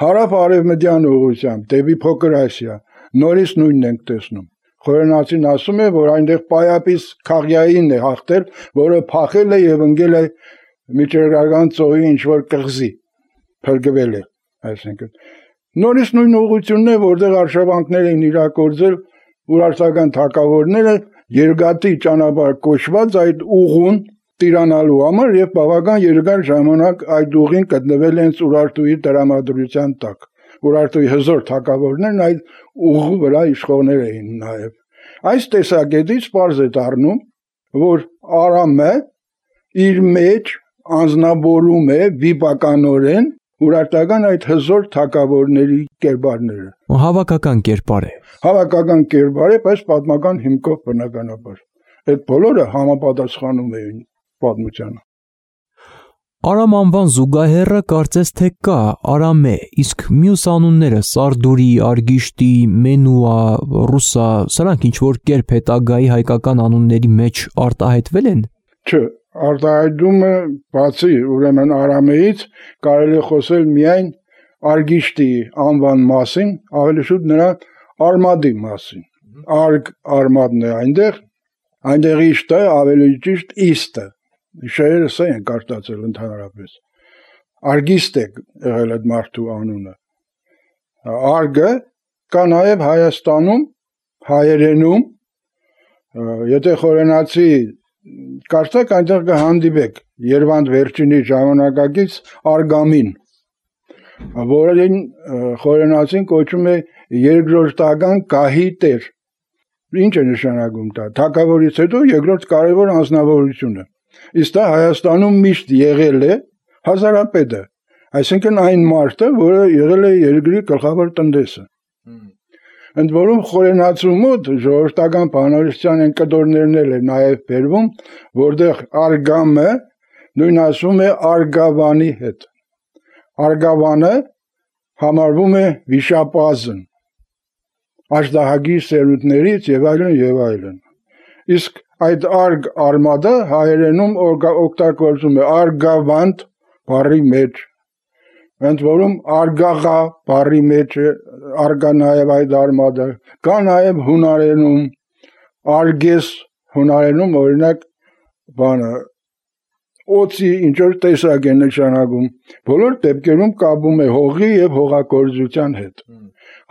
Հարավ-արևմտյան ուղղությամբ դեպի Փոքր Ասիա նորից նույնն ենք տեսնում։ Խորենացին ասում է, որ այնտեղ Պայապիս Քաղյային է հաղթել, որը փախել է եւ ընկել է Միջերգական ծովի ինչ-որ կղզի, փրկվել է, այսինքն։ Նորից նույն ուղղությունն է, որտեղ արշավանքներ են իրագործել ուրարտական թագավորները երկաթի ճանապարհ կոչված այդ ուղուն տիրանալու համար եւ բավական երկար ժամանակ այդ ուղին գտնվել են Ուրարտուի դրամատրության տակ։ Ուրարտուի հզոր թագավորներն այդ ուղու վրա իշխողներ էին նաեւ։ Այս տեսակետից պարզ է դառնում, որ Արամը իր մեջ անձնավորում է վիպականորեն ուրարտական այդ հզոր թագավորների կերպարները։ Հավաքական կերպար է։ Հավաքական կերպար է, բայց պատմական հիմքով բնականաբար։ Այդ բոլորը համապատասխանում էին պատմությանը։ Արամ անվան զուգահեռը կարծես թե կա Արամե, իսկ մյուս անունները Սարդուրի, Արգիշտի, Մենուա, Ռուսա, սրանք ինչ որ կերպ հետագայի հայկական անունների մեջ արտահայտվել են։ Չէ, արտահայտումը բացի ուրեմն Արամեից կարելի է խոսել միայն Արգիշտի անվան մասին, ավելի շուտ նրա արմատի մասին։ Արմատն է այնտեղ իշտը ավելի ճիշտ իստը։ Շեյրը սա են կարտացել ընդհանրապես։ Արգիստ է եղել այդ մարդու անունը։ Արգը կա նաև Հայաստանում, հայերենում, եթե խորենացի կարծեք այնտեղ կհանդիպեք Երվանդ վերջինի ժամանակակից Արգամին, որին խորենացին կոչում է երկրորդական գահի տեր։ Ինչ է նշանակում դա։ Թագավորից հետո երկրորդ կարևոր անձնավորությունը։ Իսկ դա Հայաստանում միշտ եղել է հազարապետը, այսինքն այն մարդը, որը եղել է երկրի գլխավոր տնտեսը։ Ընդ որում խորենացու մոտ ժողովրդական բանալիստյան են կտորներն էլ է նաև բերվում, որտեղ Արգամը նույն ասում է Արգավանի հետ։ Արգավանը համարվում է վիշապազն, աշդահագի սերունդներից եւ այլն։ Իսկ այդ արգ արմատը հայերենում օգտագործում է արգավանդ բառի մեջ, ընդ որում արգաղա բառի մեջ արգա նաեւ այդ արմատը, կա նաեւ հունարենում արգես, հունարենում օրինակ բանը օծի ինչ որ տեսակ է նշանակում, բոլոր դեպքերում կապում է հողի եւ հողագործության հետ։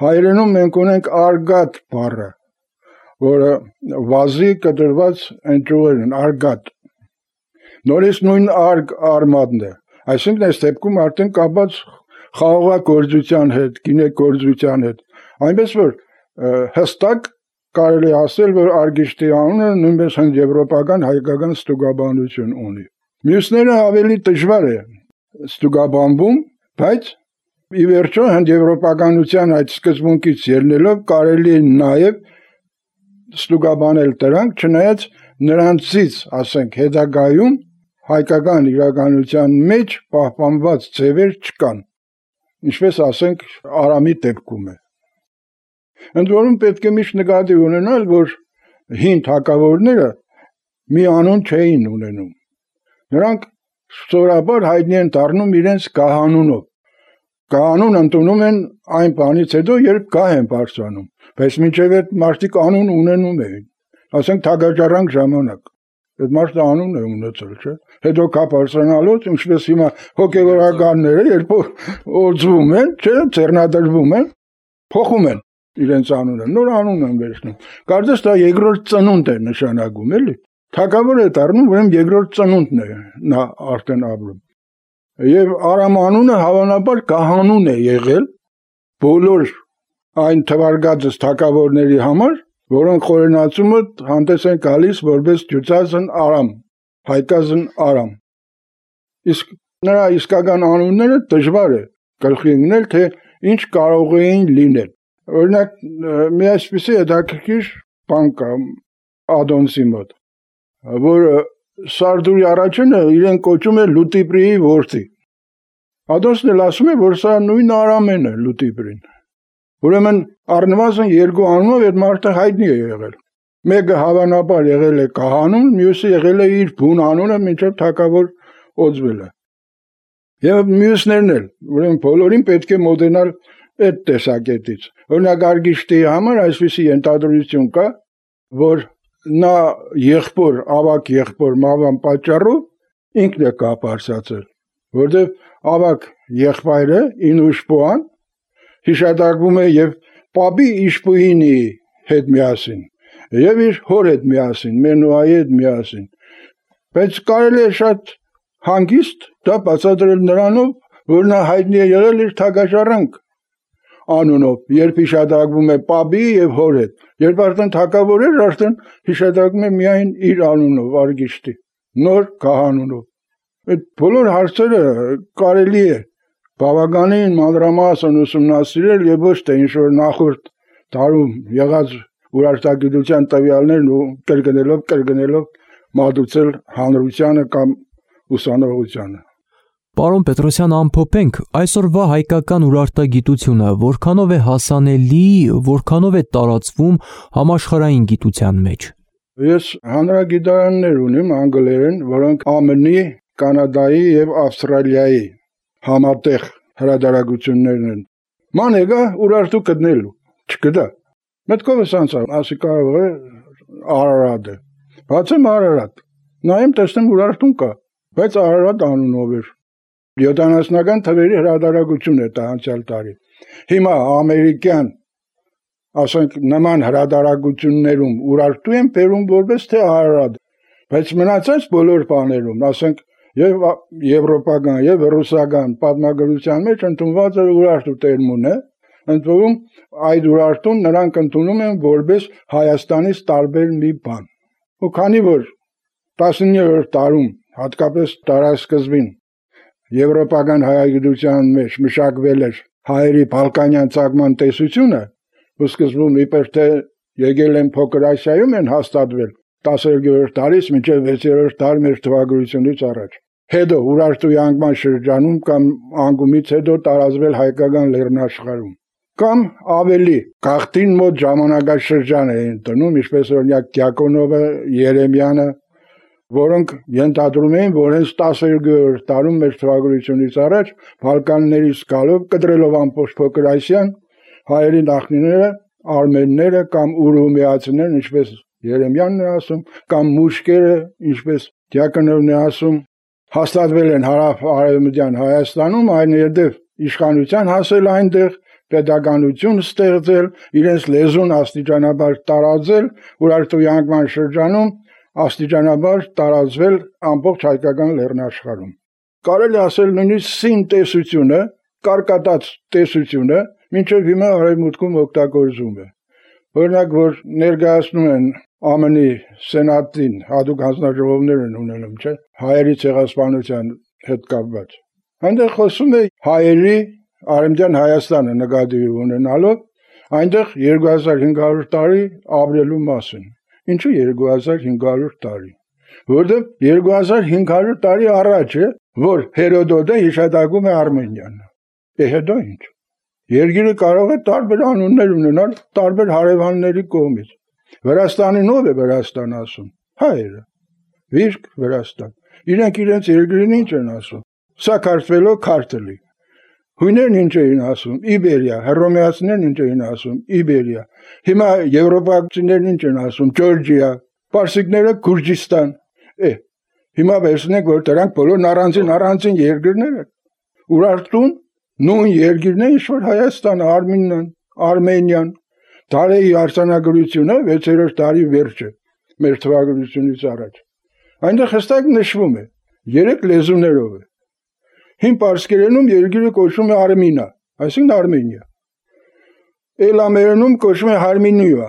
Հայերենում մենք ունենք արգատ բառը, որը վազի կտրված ընտրուղեր են, արգատ։ Նորից նույն արգ արմատն է, այսինքն այս դեպքում արդեն կապած խաղողագործության հետ, գինեգործության հետ, այնպես որ հստակ կարելի ասել, որ արգիշտի անունը նույնպես հնդեվրոպական հայկական ստուգաբանություն ունի։ Մյուսները ավելի դժվար է ստուգաբանվում, բայց ի վերջո հնդեվրոպականության այդ սկզբունքից ելնելով կարելի է նաև ստուգաբանել դրանք, չնայած նրանցից, ասենք, հետագայում հայկական իրականության մեջ պահպանված ձևեր չկան, ինչպես ասենք Արամի դեպքում է։ Ընդ որում պետք է միշտ նկատի ունենալ, որ հին թագավորները մի անուն չէին ունենում։ Նրանք սովորաբար հայտնի են դառնում իրենց գահանունով։ Գահանուն ընդունում են այն բանից հետո, երբ գահ են բարձրանում, բայց մինչև այդ մարդիկ անուն ունենում էին, ասենք թագաճարանք ժամանակ, այդ մարդը անուն է ունեցել, չէ՞։ Հետո գահ բարձրանալուց, ինչպես հիմա հոգևորականները, երբ օծվում են, չէ՞, ձեռնադրվում են, փոխում են իրենց անունը, նոր անուն են վերցնում։ Կարծես դա երկրորդ ծնունդ է նշանակում, էլի։ Թագավոր է դառնում, ուրեմն երկրորդ ծնունդն է նա արդեն ապրում։ Եվ Արամ անունը հավանաբար կահանուն է եղել բոլոր այն թվարկածս թագավորների համար, որոնք խորենացումը հանդես են գալիս որպես ջուծածն Արամ, հայկազն Արամ։ Իսկ նրա իսկական անունները դժվար է գլխի ընկնել, թե ինչ կարող էին լինել։ Օրինակ, մի այսպիսի հետաքրքիր բան կա Ադոնսի մոտ, որ Սարդուրի առաջինը իրեն կոչում է Լուտիպրիի որդի։ Ադոնսն էլ ասում է, որ սա նույն Արամեն է Լուտիպրին։ Ուրեմն առնվազն երկու անունով այդ մարդը հայտնի է եղել։ Մեկը հավանաբար եղել է կահանուն, մյուսը եղել է իր բուն անունը, մինչև թագավոր օծվել է։ Եվ մյուսներն էլ, ուրեմն բոլորին պետք է մոտենալ այդ տեսակետից։ Օրինակ Արգիշտի համար այսպիսի ենթադրություն կա, որ նա եղբոր, ավակ եղբոր մահվան պատճառով ինքն է կապարծացել, որտեղ ավակ եղբայրը Ինուշպոան հիշատակվում է եւ Պապի Իշպուինի հետ միասին, եւ իր հոր հետ միասին, Մենուայի հետ միասին։ Բայց կարելի է շատ հանգիստ դա բացատրել նրանով, որ նա հայտնի է եղել իր թագաճարանք անունով, երբ հիշատակվում է Պապի եւ հոր հետ։ Երբ արդեն թագավոր էր, արդեն հիշատակվում է միայն իր անունով, Արգիշտի, նոր կահանունով։ Այդ բոլոր հարցերը կարելի է բավականին մանրամասն ուսումնասիրել եւ ոչ թե ինչ-որ նախորդ դարում եղած ուրարտագիտության տվյալներն ու կրկնելով մատուցել հանրությանը կամ ուսանողությանը։ Պարոն Պետրոսյան, ամփոփենք այսօրվա հայկական ուրարտագիտությունը որքանով է հասանելի, որքանով է տարածվում համաշխարհային գիտության մեջ։ Ես հանրագիտարաններ ունեմ անգլերեն, որոնք ԱՄՆ-ի, Կանադայի եւ Ավստրալիայի համատեղ հրադարագություններն են։ Ման եկա ուրարտու գտնելու, չգտա։ Մտքովս անցա, ասի կարող է Արարատը։ Բացեմ Արարատ։ Նայեմ տեսնեմ ուրարտուն կա, բայց Արարատ անունով էր։ 70-ական թվերի հրադարագություն է դա անցյալ տարի։ Հիմա ամերիկյան, ասենք նման հրադարագություններում ուրարտու են բերում որպես թե Արարատ, բայց մնացած բոլոր բաներում, ասենք եւ եվրոպական եւ ռուսական պատմագրության մեջ ընդունված է ուրարտու տերմինը, ընդ որում այդ ուրարտուն նրանք ընդունում են որպես Հայաստանից տարբեր մի բան։ Ու քանի որ 19-րդ դարում, հատկապես դարաշրջանին եվրոպական հայագիտության մեջ մշակվել էր հայերի բալկանյան ցակման տեսությունը, ու սկզբում իբր թե եկել են փոքր Ասիայում են հաստատվել 12-րդ դարից մինչև 6-րդ դար մեր թվագրությունից առաջ։ հետո Ուրարտու անկման շրջանում կամ անկումից հետո տարածվել հայկական լեռնաշխարհում կամ ավելի գաղթին մոտ ժամանակաշրջան էին տնում, ինչպես օրինակ Դիակոնովը, Երեմյանը, որոնք ենթադրում էին, որ հենց 12-րդ տարում մեր թվագրությունից առաջ Բալկաններից գալով կտրելով ամբողջ Փոքր Ասիան հայերի նախնիները, արմենները կամ ուրումիացիներն, ինչպես Երեմյանն է ասում, կամ մուշկերը, ինչպես Դիակոնովն է ասում, հաստատվել են հարավ-արևմտյան Հայաստանում, այնուհետև իշխանության հասել այնտեղ, պետականություն ստեղծել, իրենց լեզուն աստիճանաբար տարածել, Ուրարտու անկման շրջանում աստիճանաբար տարածվել ամբողջ հայկական լեռնաշխարհում։ Կարելի ասել նույնիսկ սին տեսությունը, կարկատած տեսությունը, մինչև հիմա արևմուտքում օգտագործվում է։ Օրինակ, որ ներկայացնում են ԱՄՆ-ի սենատին, հատուկ հանձնաժողովներ են ունենում, չէ՞, հայերի ցեղասպանության հետ կապված։ Այնտեղ խոսում է հայերի Արևմտյան Հայաստանը նկատի ունենալով այնտեղ 2500 տարի ապրելու մասին։ Ինչու 2500 տարի։ Որտեղ 2500 տարի առաջ է, որ Հերոդոտը հիշատակում է Արմենիան։ Հետո ինչ։ Երկիրը կարող է տարբեր անուններ ունենալ տարբեր հարևանների կողմից։ Վրաստանին ով է Վրաստան ասում։ Հայերը։ Վիրք Վրաստան։ Իրենք իրենց երկրին ինչ են ասում։ Սակարթվելո քարտելի։ Հույներն ինչ էին ասում։ Իբերիա, հռոմեացիներն ինչ էին ասում։ Իբերիա։ Հիմա եվրոպացիներն ինչ են ասում։ Ջորջիա, պարսիկները Գուրջիստան։ Հիմա վերցնենք, որ դրանք բոլորն առանձին երկրներ են։ Ուրարտուն նույն երկիրն է, ինչ որ Հայաստանը, Արմենիան։ Դարեի արձանագրությունը 6-րդ դարի վերջը մեր թվագրությունից առաջ։ Այնտեղ հստակ նշվում է 3 լեզուներով է։ Հին պարսկերենում երկիրը կոչվում է Արմինա, այսինքն Արմենիա։ Էլամերենում կոչվում է Հարմինիա,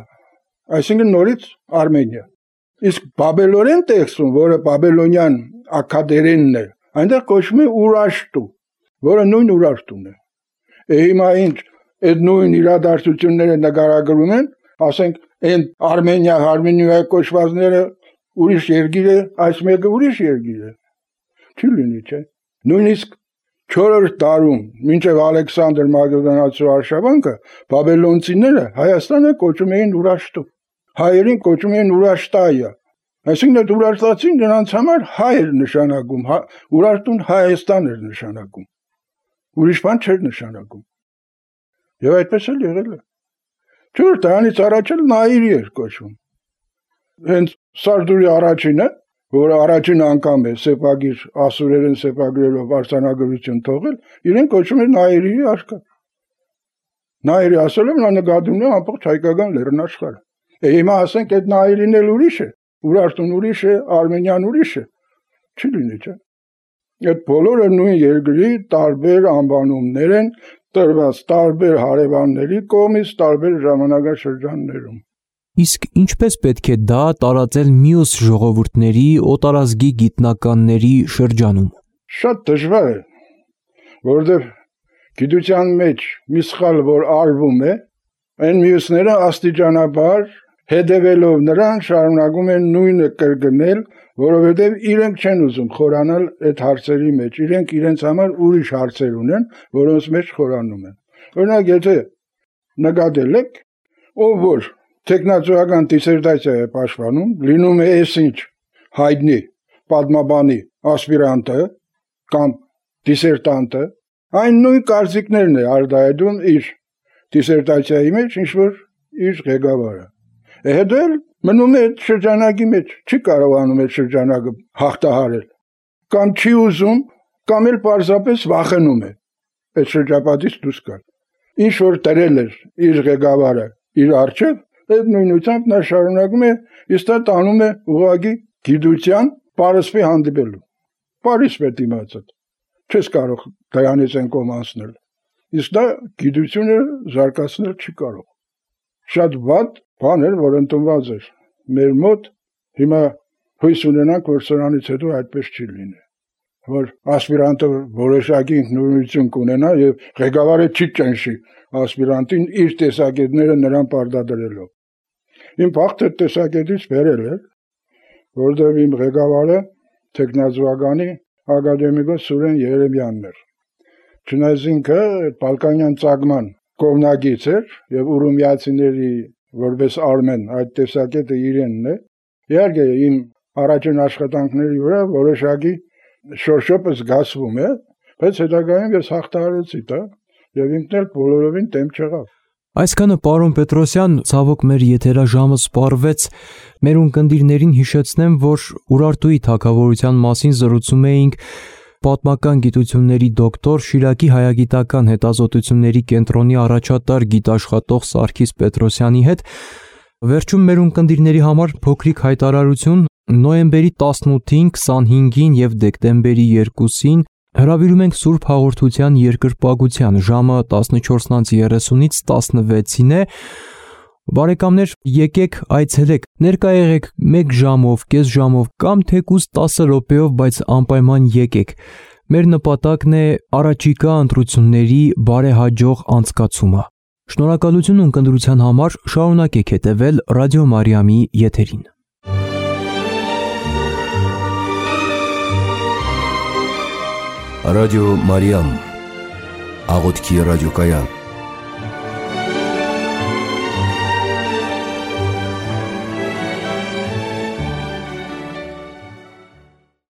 այսինքն նորից Արմենիա։ Իսկ բաբելորեն տեքստում, որը բաբելոնյան ակադերենն է, այնտեղ կոչվում է Ուրաշտու, որը նույն Ուրաշտուն է։ Հիմա ինչ այդ նույն իրադարձությունները նկարագրում են, ասենք այն Արմենիա, Հարմինիա կոչվածները ուրիշ երկիր է, այս մեկը ուրիշ երկիր է։ Չի լինի, չէ։ Նույնիսկ 4-րդ դարում, մինչև Ալեքսանդր Մակեդոնացու արշավանքը, բաբելոնցիները Հայաստանը կոչում էին Ուրաշտու։ Հայերին կոչում էին Ուրաշտայա։ Այսինքն այդ ուրարտացին նրանց համար հայ էր նշանակում, Ուրարտուն Հայաստան էր նշանակում։ Ուրիշ բան չէր նշանակում։ Եվ այդպես էլ եղել է։ Չէ՞ դրանից առաջ էլ Նայիրի էր կոչվում։ Հենց Սարդուրի առաջինը, որը առաջին անգամ է սեպագիր ասուրերեն սեպագրերով արձանագրություն թողել, իրեն կոչվում է Նայիրի արքա։ Նայիրի ասելով նա նկատում է ամբողջ հայկական լեռնաշխարհը։ Հիմա ասենք այդ Նայիրին էլ ուրիշ է, Ուրարտուն ուրիշ է, Արմենիան ուրիշ է։ Չի լինի, չէ՞։ Այդ բոլորը նույն երկրի տարբեր անվանումներ են տրված տարբեր հարևանների կողմից տարբեր ժամանակաշրջաններում։ Իսկ ինչպես պետք է դա տարածել մյուս ժողովուրդների, օտարազգի գիտնականների շրջանում։ Շատ դժվար է, որովհետև գիտության մեջ մի սխալ որ արվում է, այն մյուսները աստիճանաբար հետևելով նրան շարունակում են նույնը կրկնել, որովհետև իրենք չեն ուզում խորանալ այդ հարցերի մեջ, իրենք իրենց համար ուրիշ հարցեր ունեն, որոնց մեջ խորանում են։ Օրինակ, եթե նկատել եք, ով որ տեխնացուական դիսերտացիա է պաշտպանում, լինում է այսինչ հայտնի պատմաբանի ասպիրանտը կամ դիսերտանտը, այն նույն կարծիքներն է արտահայտում իր դիսերտացիայի մեջ, ինչ որ իր ղեկավարը։ Հետո էլ մնում է այդ շրջանակի մեջ, չի կարողանում այդ շրջանակը հաղթահարել, կամ չի ուզում, կամ էլ պարզապես վախենում է այդ շրջապատից դուրս գալ։ Ինչ որ դրել էր իր ղեկավարը իր առջև, այդ նույնությամբ նա շարունակում է, իսկ դա տանում է ուղղակի գիտության պարսպի հանդիպելու։ Պարիսպ է դիմացած, չես կարող դրանից են կոմանցնել, իսկ դա գիտությունը զարգացնել չի կարող։ Շատ վատ բան էր, որ ընդունված էր մեր մոտ, հիմա հույս ունենանք, որ սրանից հետո այդպես չի լինի, որ ասպիրանտը որոշակի ինքնուրույնություն կունենա եւ ղեկավարը չի ճնշի ասպիրանտին իր տեսակետները նրան պարտադրելով։ Իմ փախտը տեսակետից վերել էր, որտեղ իմ ղեկավարը տեխնազուականի ակադեմիկոս Սուրեն Երեմյանն էր։ Չնայած ինքը Բալկանյան ծագման կողմնակից էր եւ ուրումյացիների որպես արմեն այդ տեսակետը իրենն է։ Իհարկե իմ առաջին աշխատանքների վրա որոշակի շորշոպը զգացվում է, բայց հետագայում ես հաղթահարեցի դա եւ ինքն էլ բոլորովին դեմ չեղավ։ Այսքանը պարոն Պետրոսյան, ցավոք մեր եթերաժամը սպառվեց։ Մեր ունկնդիրներին հիշեցնեմ, որ Ուրարտուի թագավորության մասին զրուցում էինք պատմական գիտությունների դոկտոր Շիրակի հայագիտական հետազոտությունների կենտրոնի առաջատար գիտաշխատող Սարգիս Պետրոսյանի հետ։ Վերջում մեր ունկնդիրների համար փոքրիկ հայտարարություն նոյեմբերի 18-ին, 25-ին եւ դեկտեմբերի 2-ին հրավիրում ենք Սուրբ Հաղորդության երկրպագության ժամը 14:30-ից 16-ին է։ Բարեկամներ, եկեք այցելեք, ներկա եղեք 1 ժամով, կես ժամով կամ թեկուզ 10 րոպեով, բայց անպայման եկեք։ Մեր նպատակն է առաջիկա ընտրությունների բարեհաջող անցկացումը։ Շնորհակալություն ունկնդրության համար, շարունակեք հետևել Ռադիո Մարիամի եթերին։ Ռադիո Մարիամ, աղոթքի ռադիոկայան։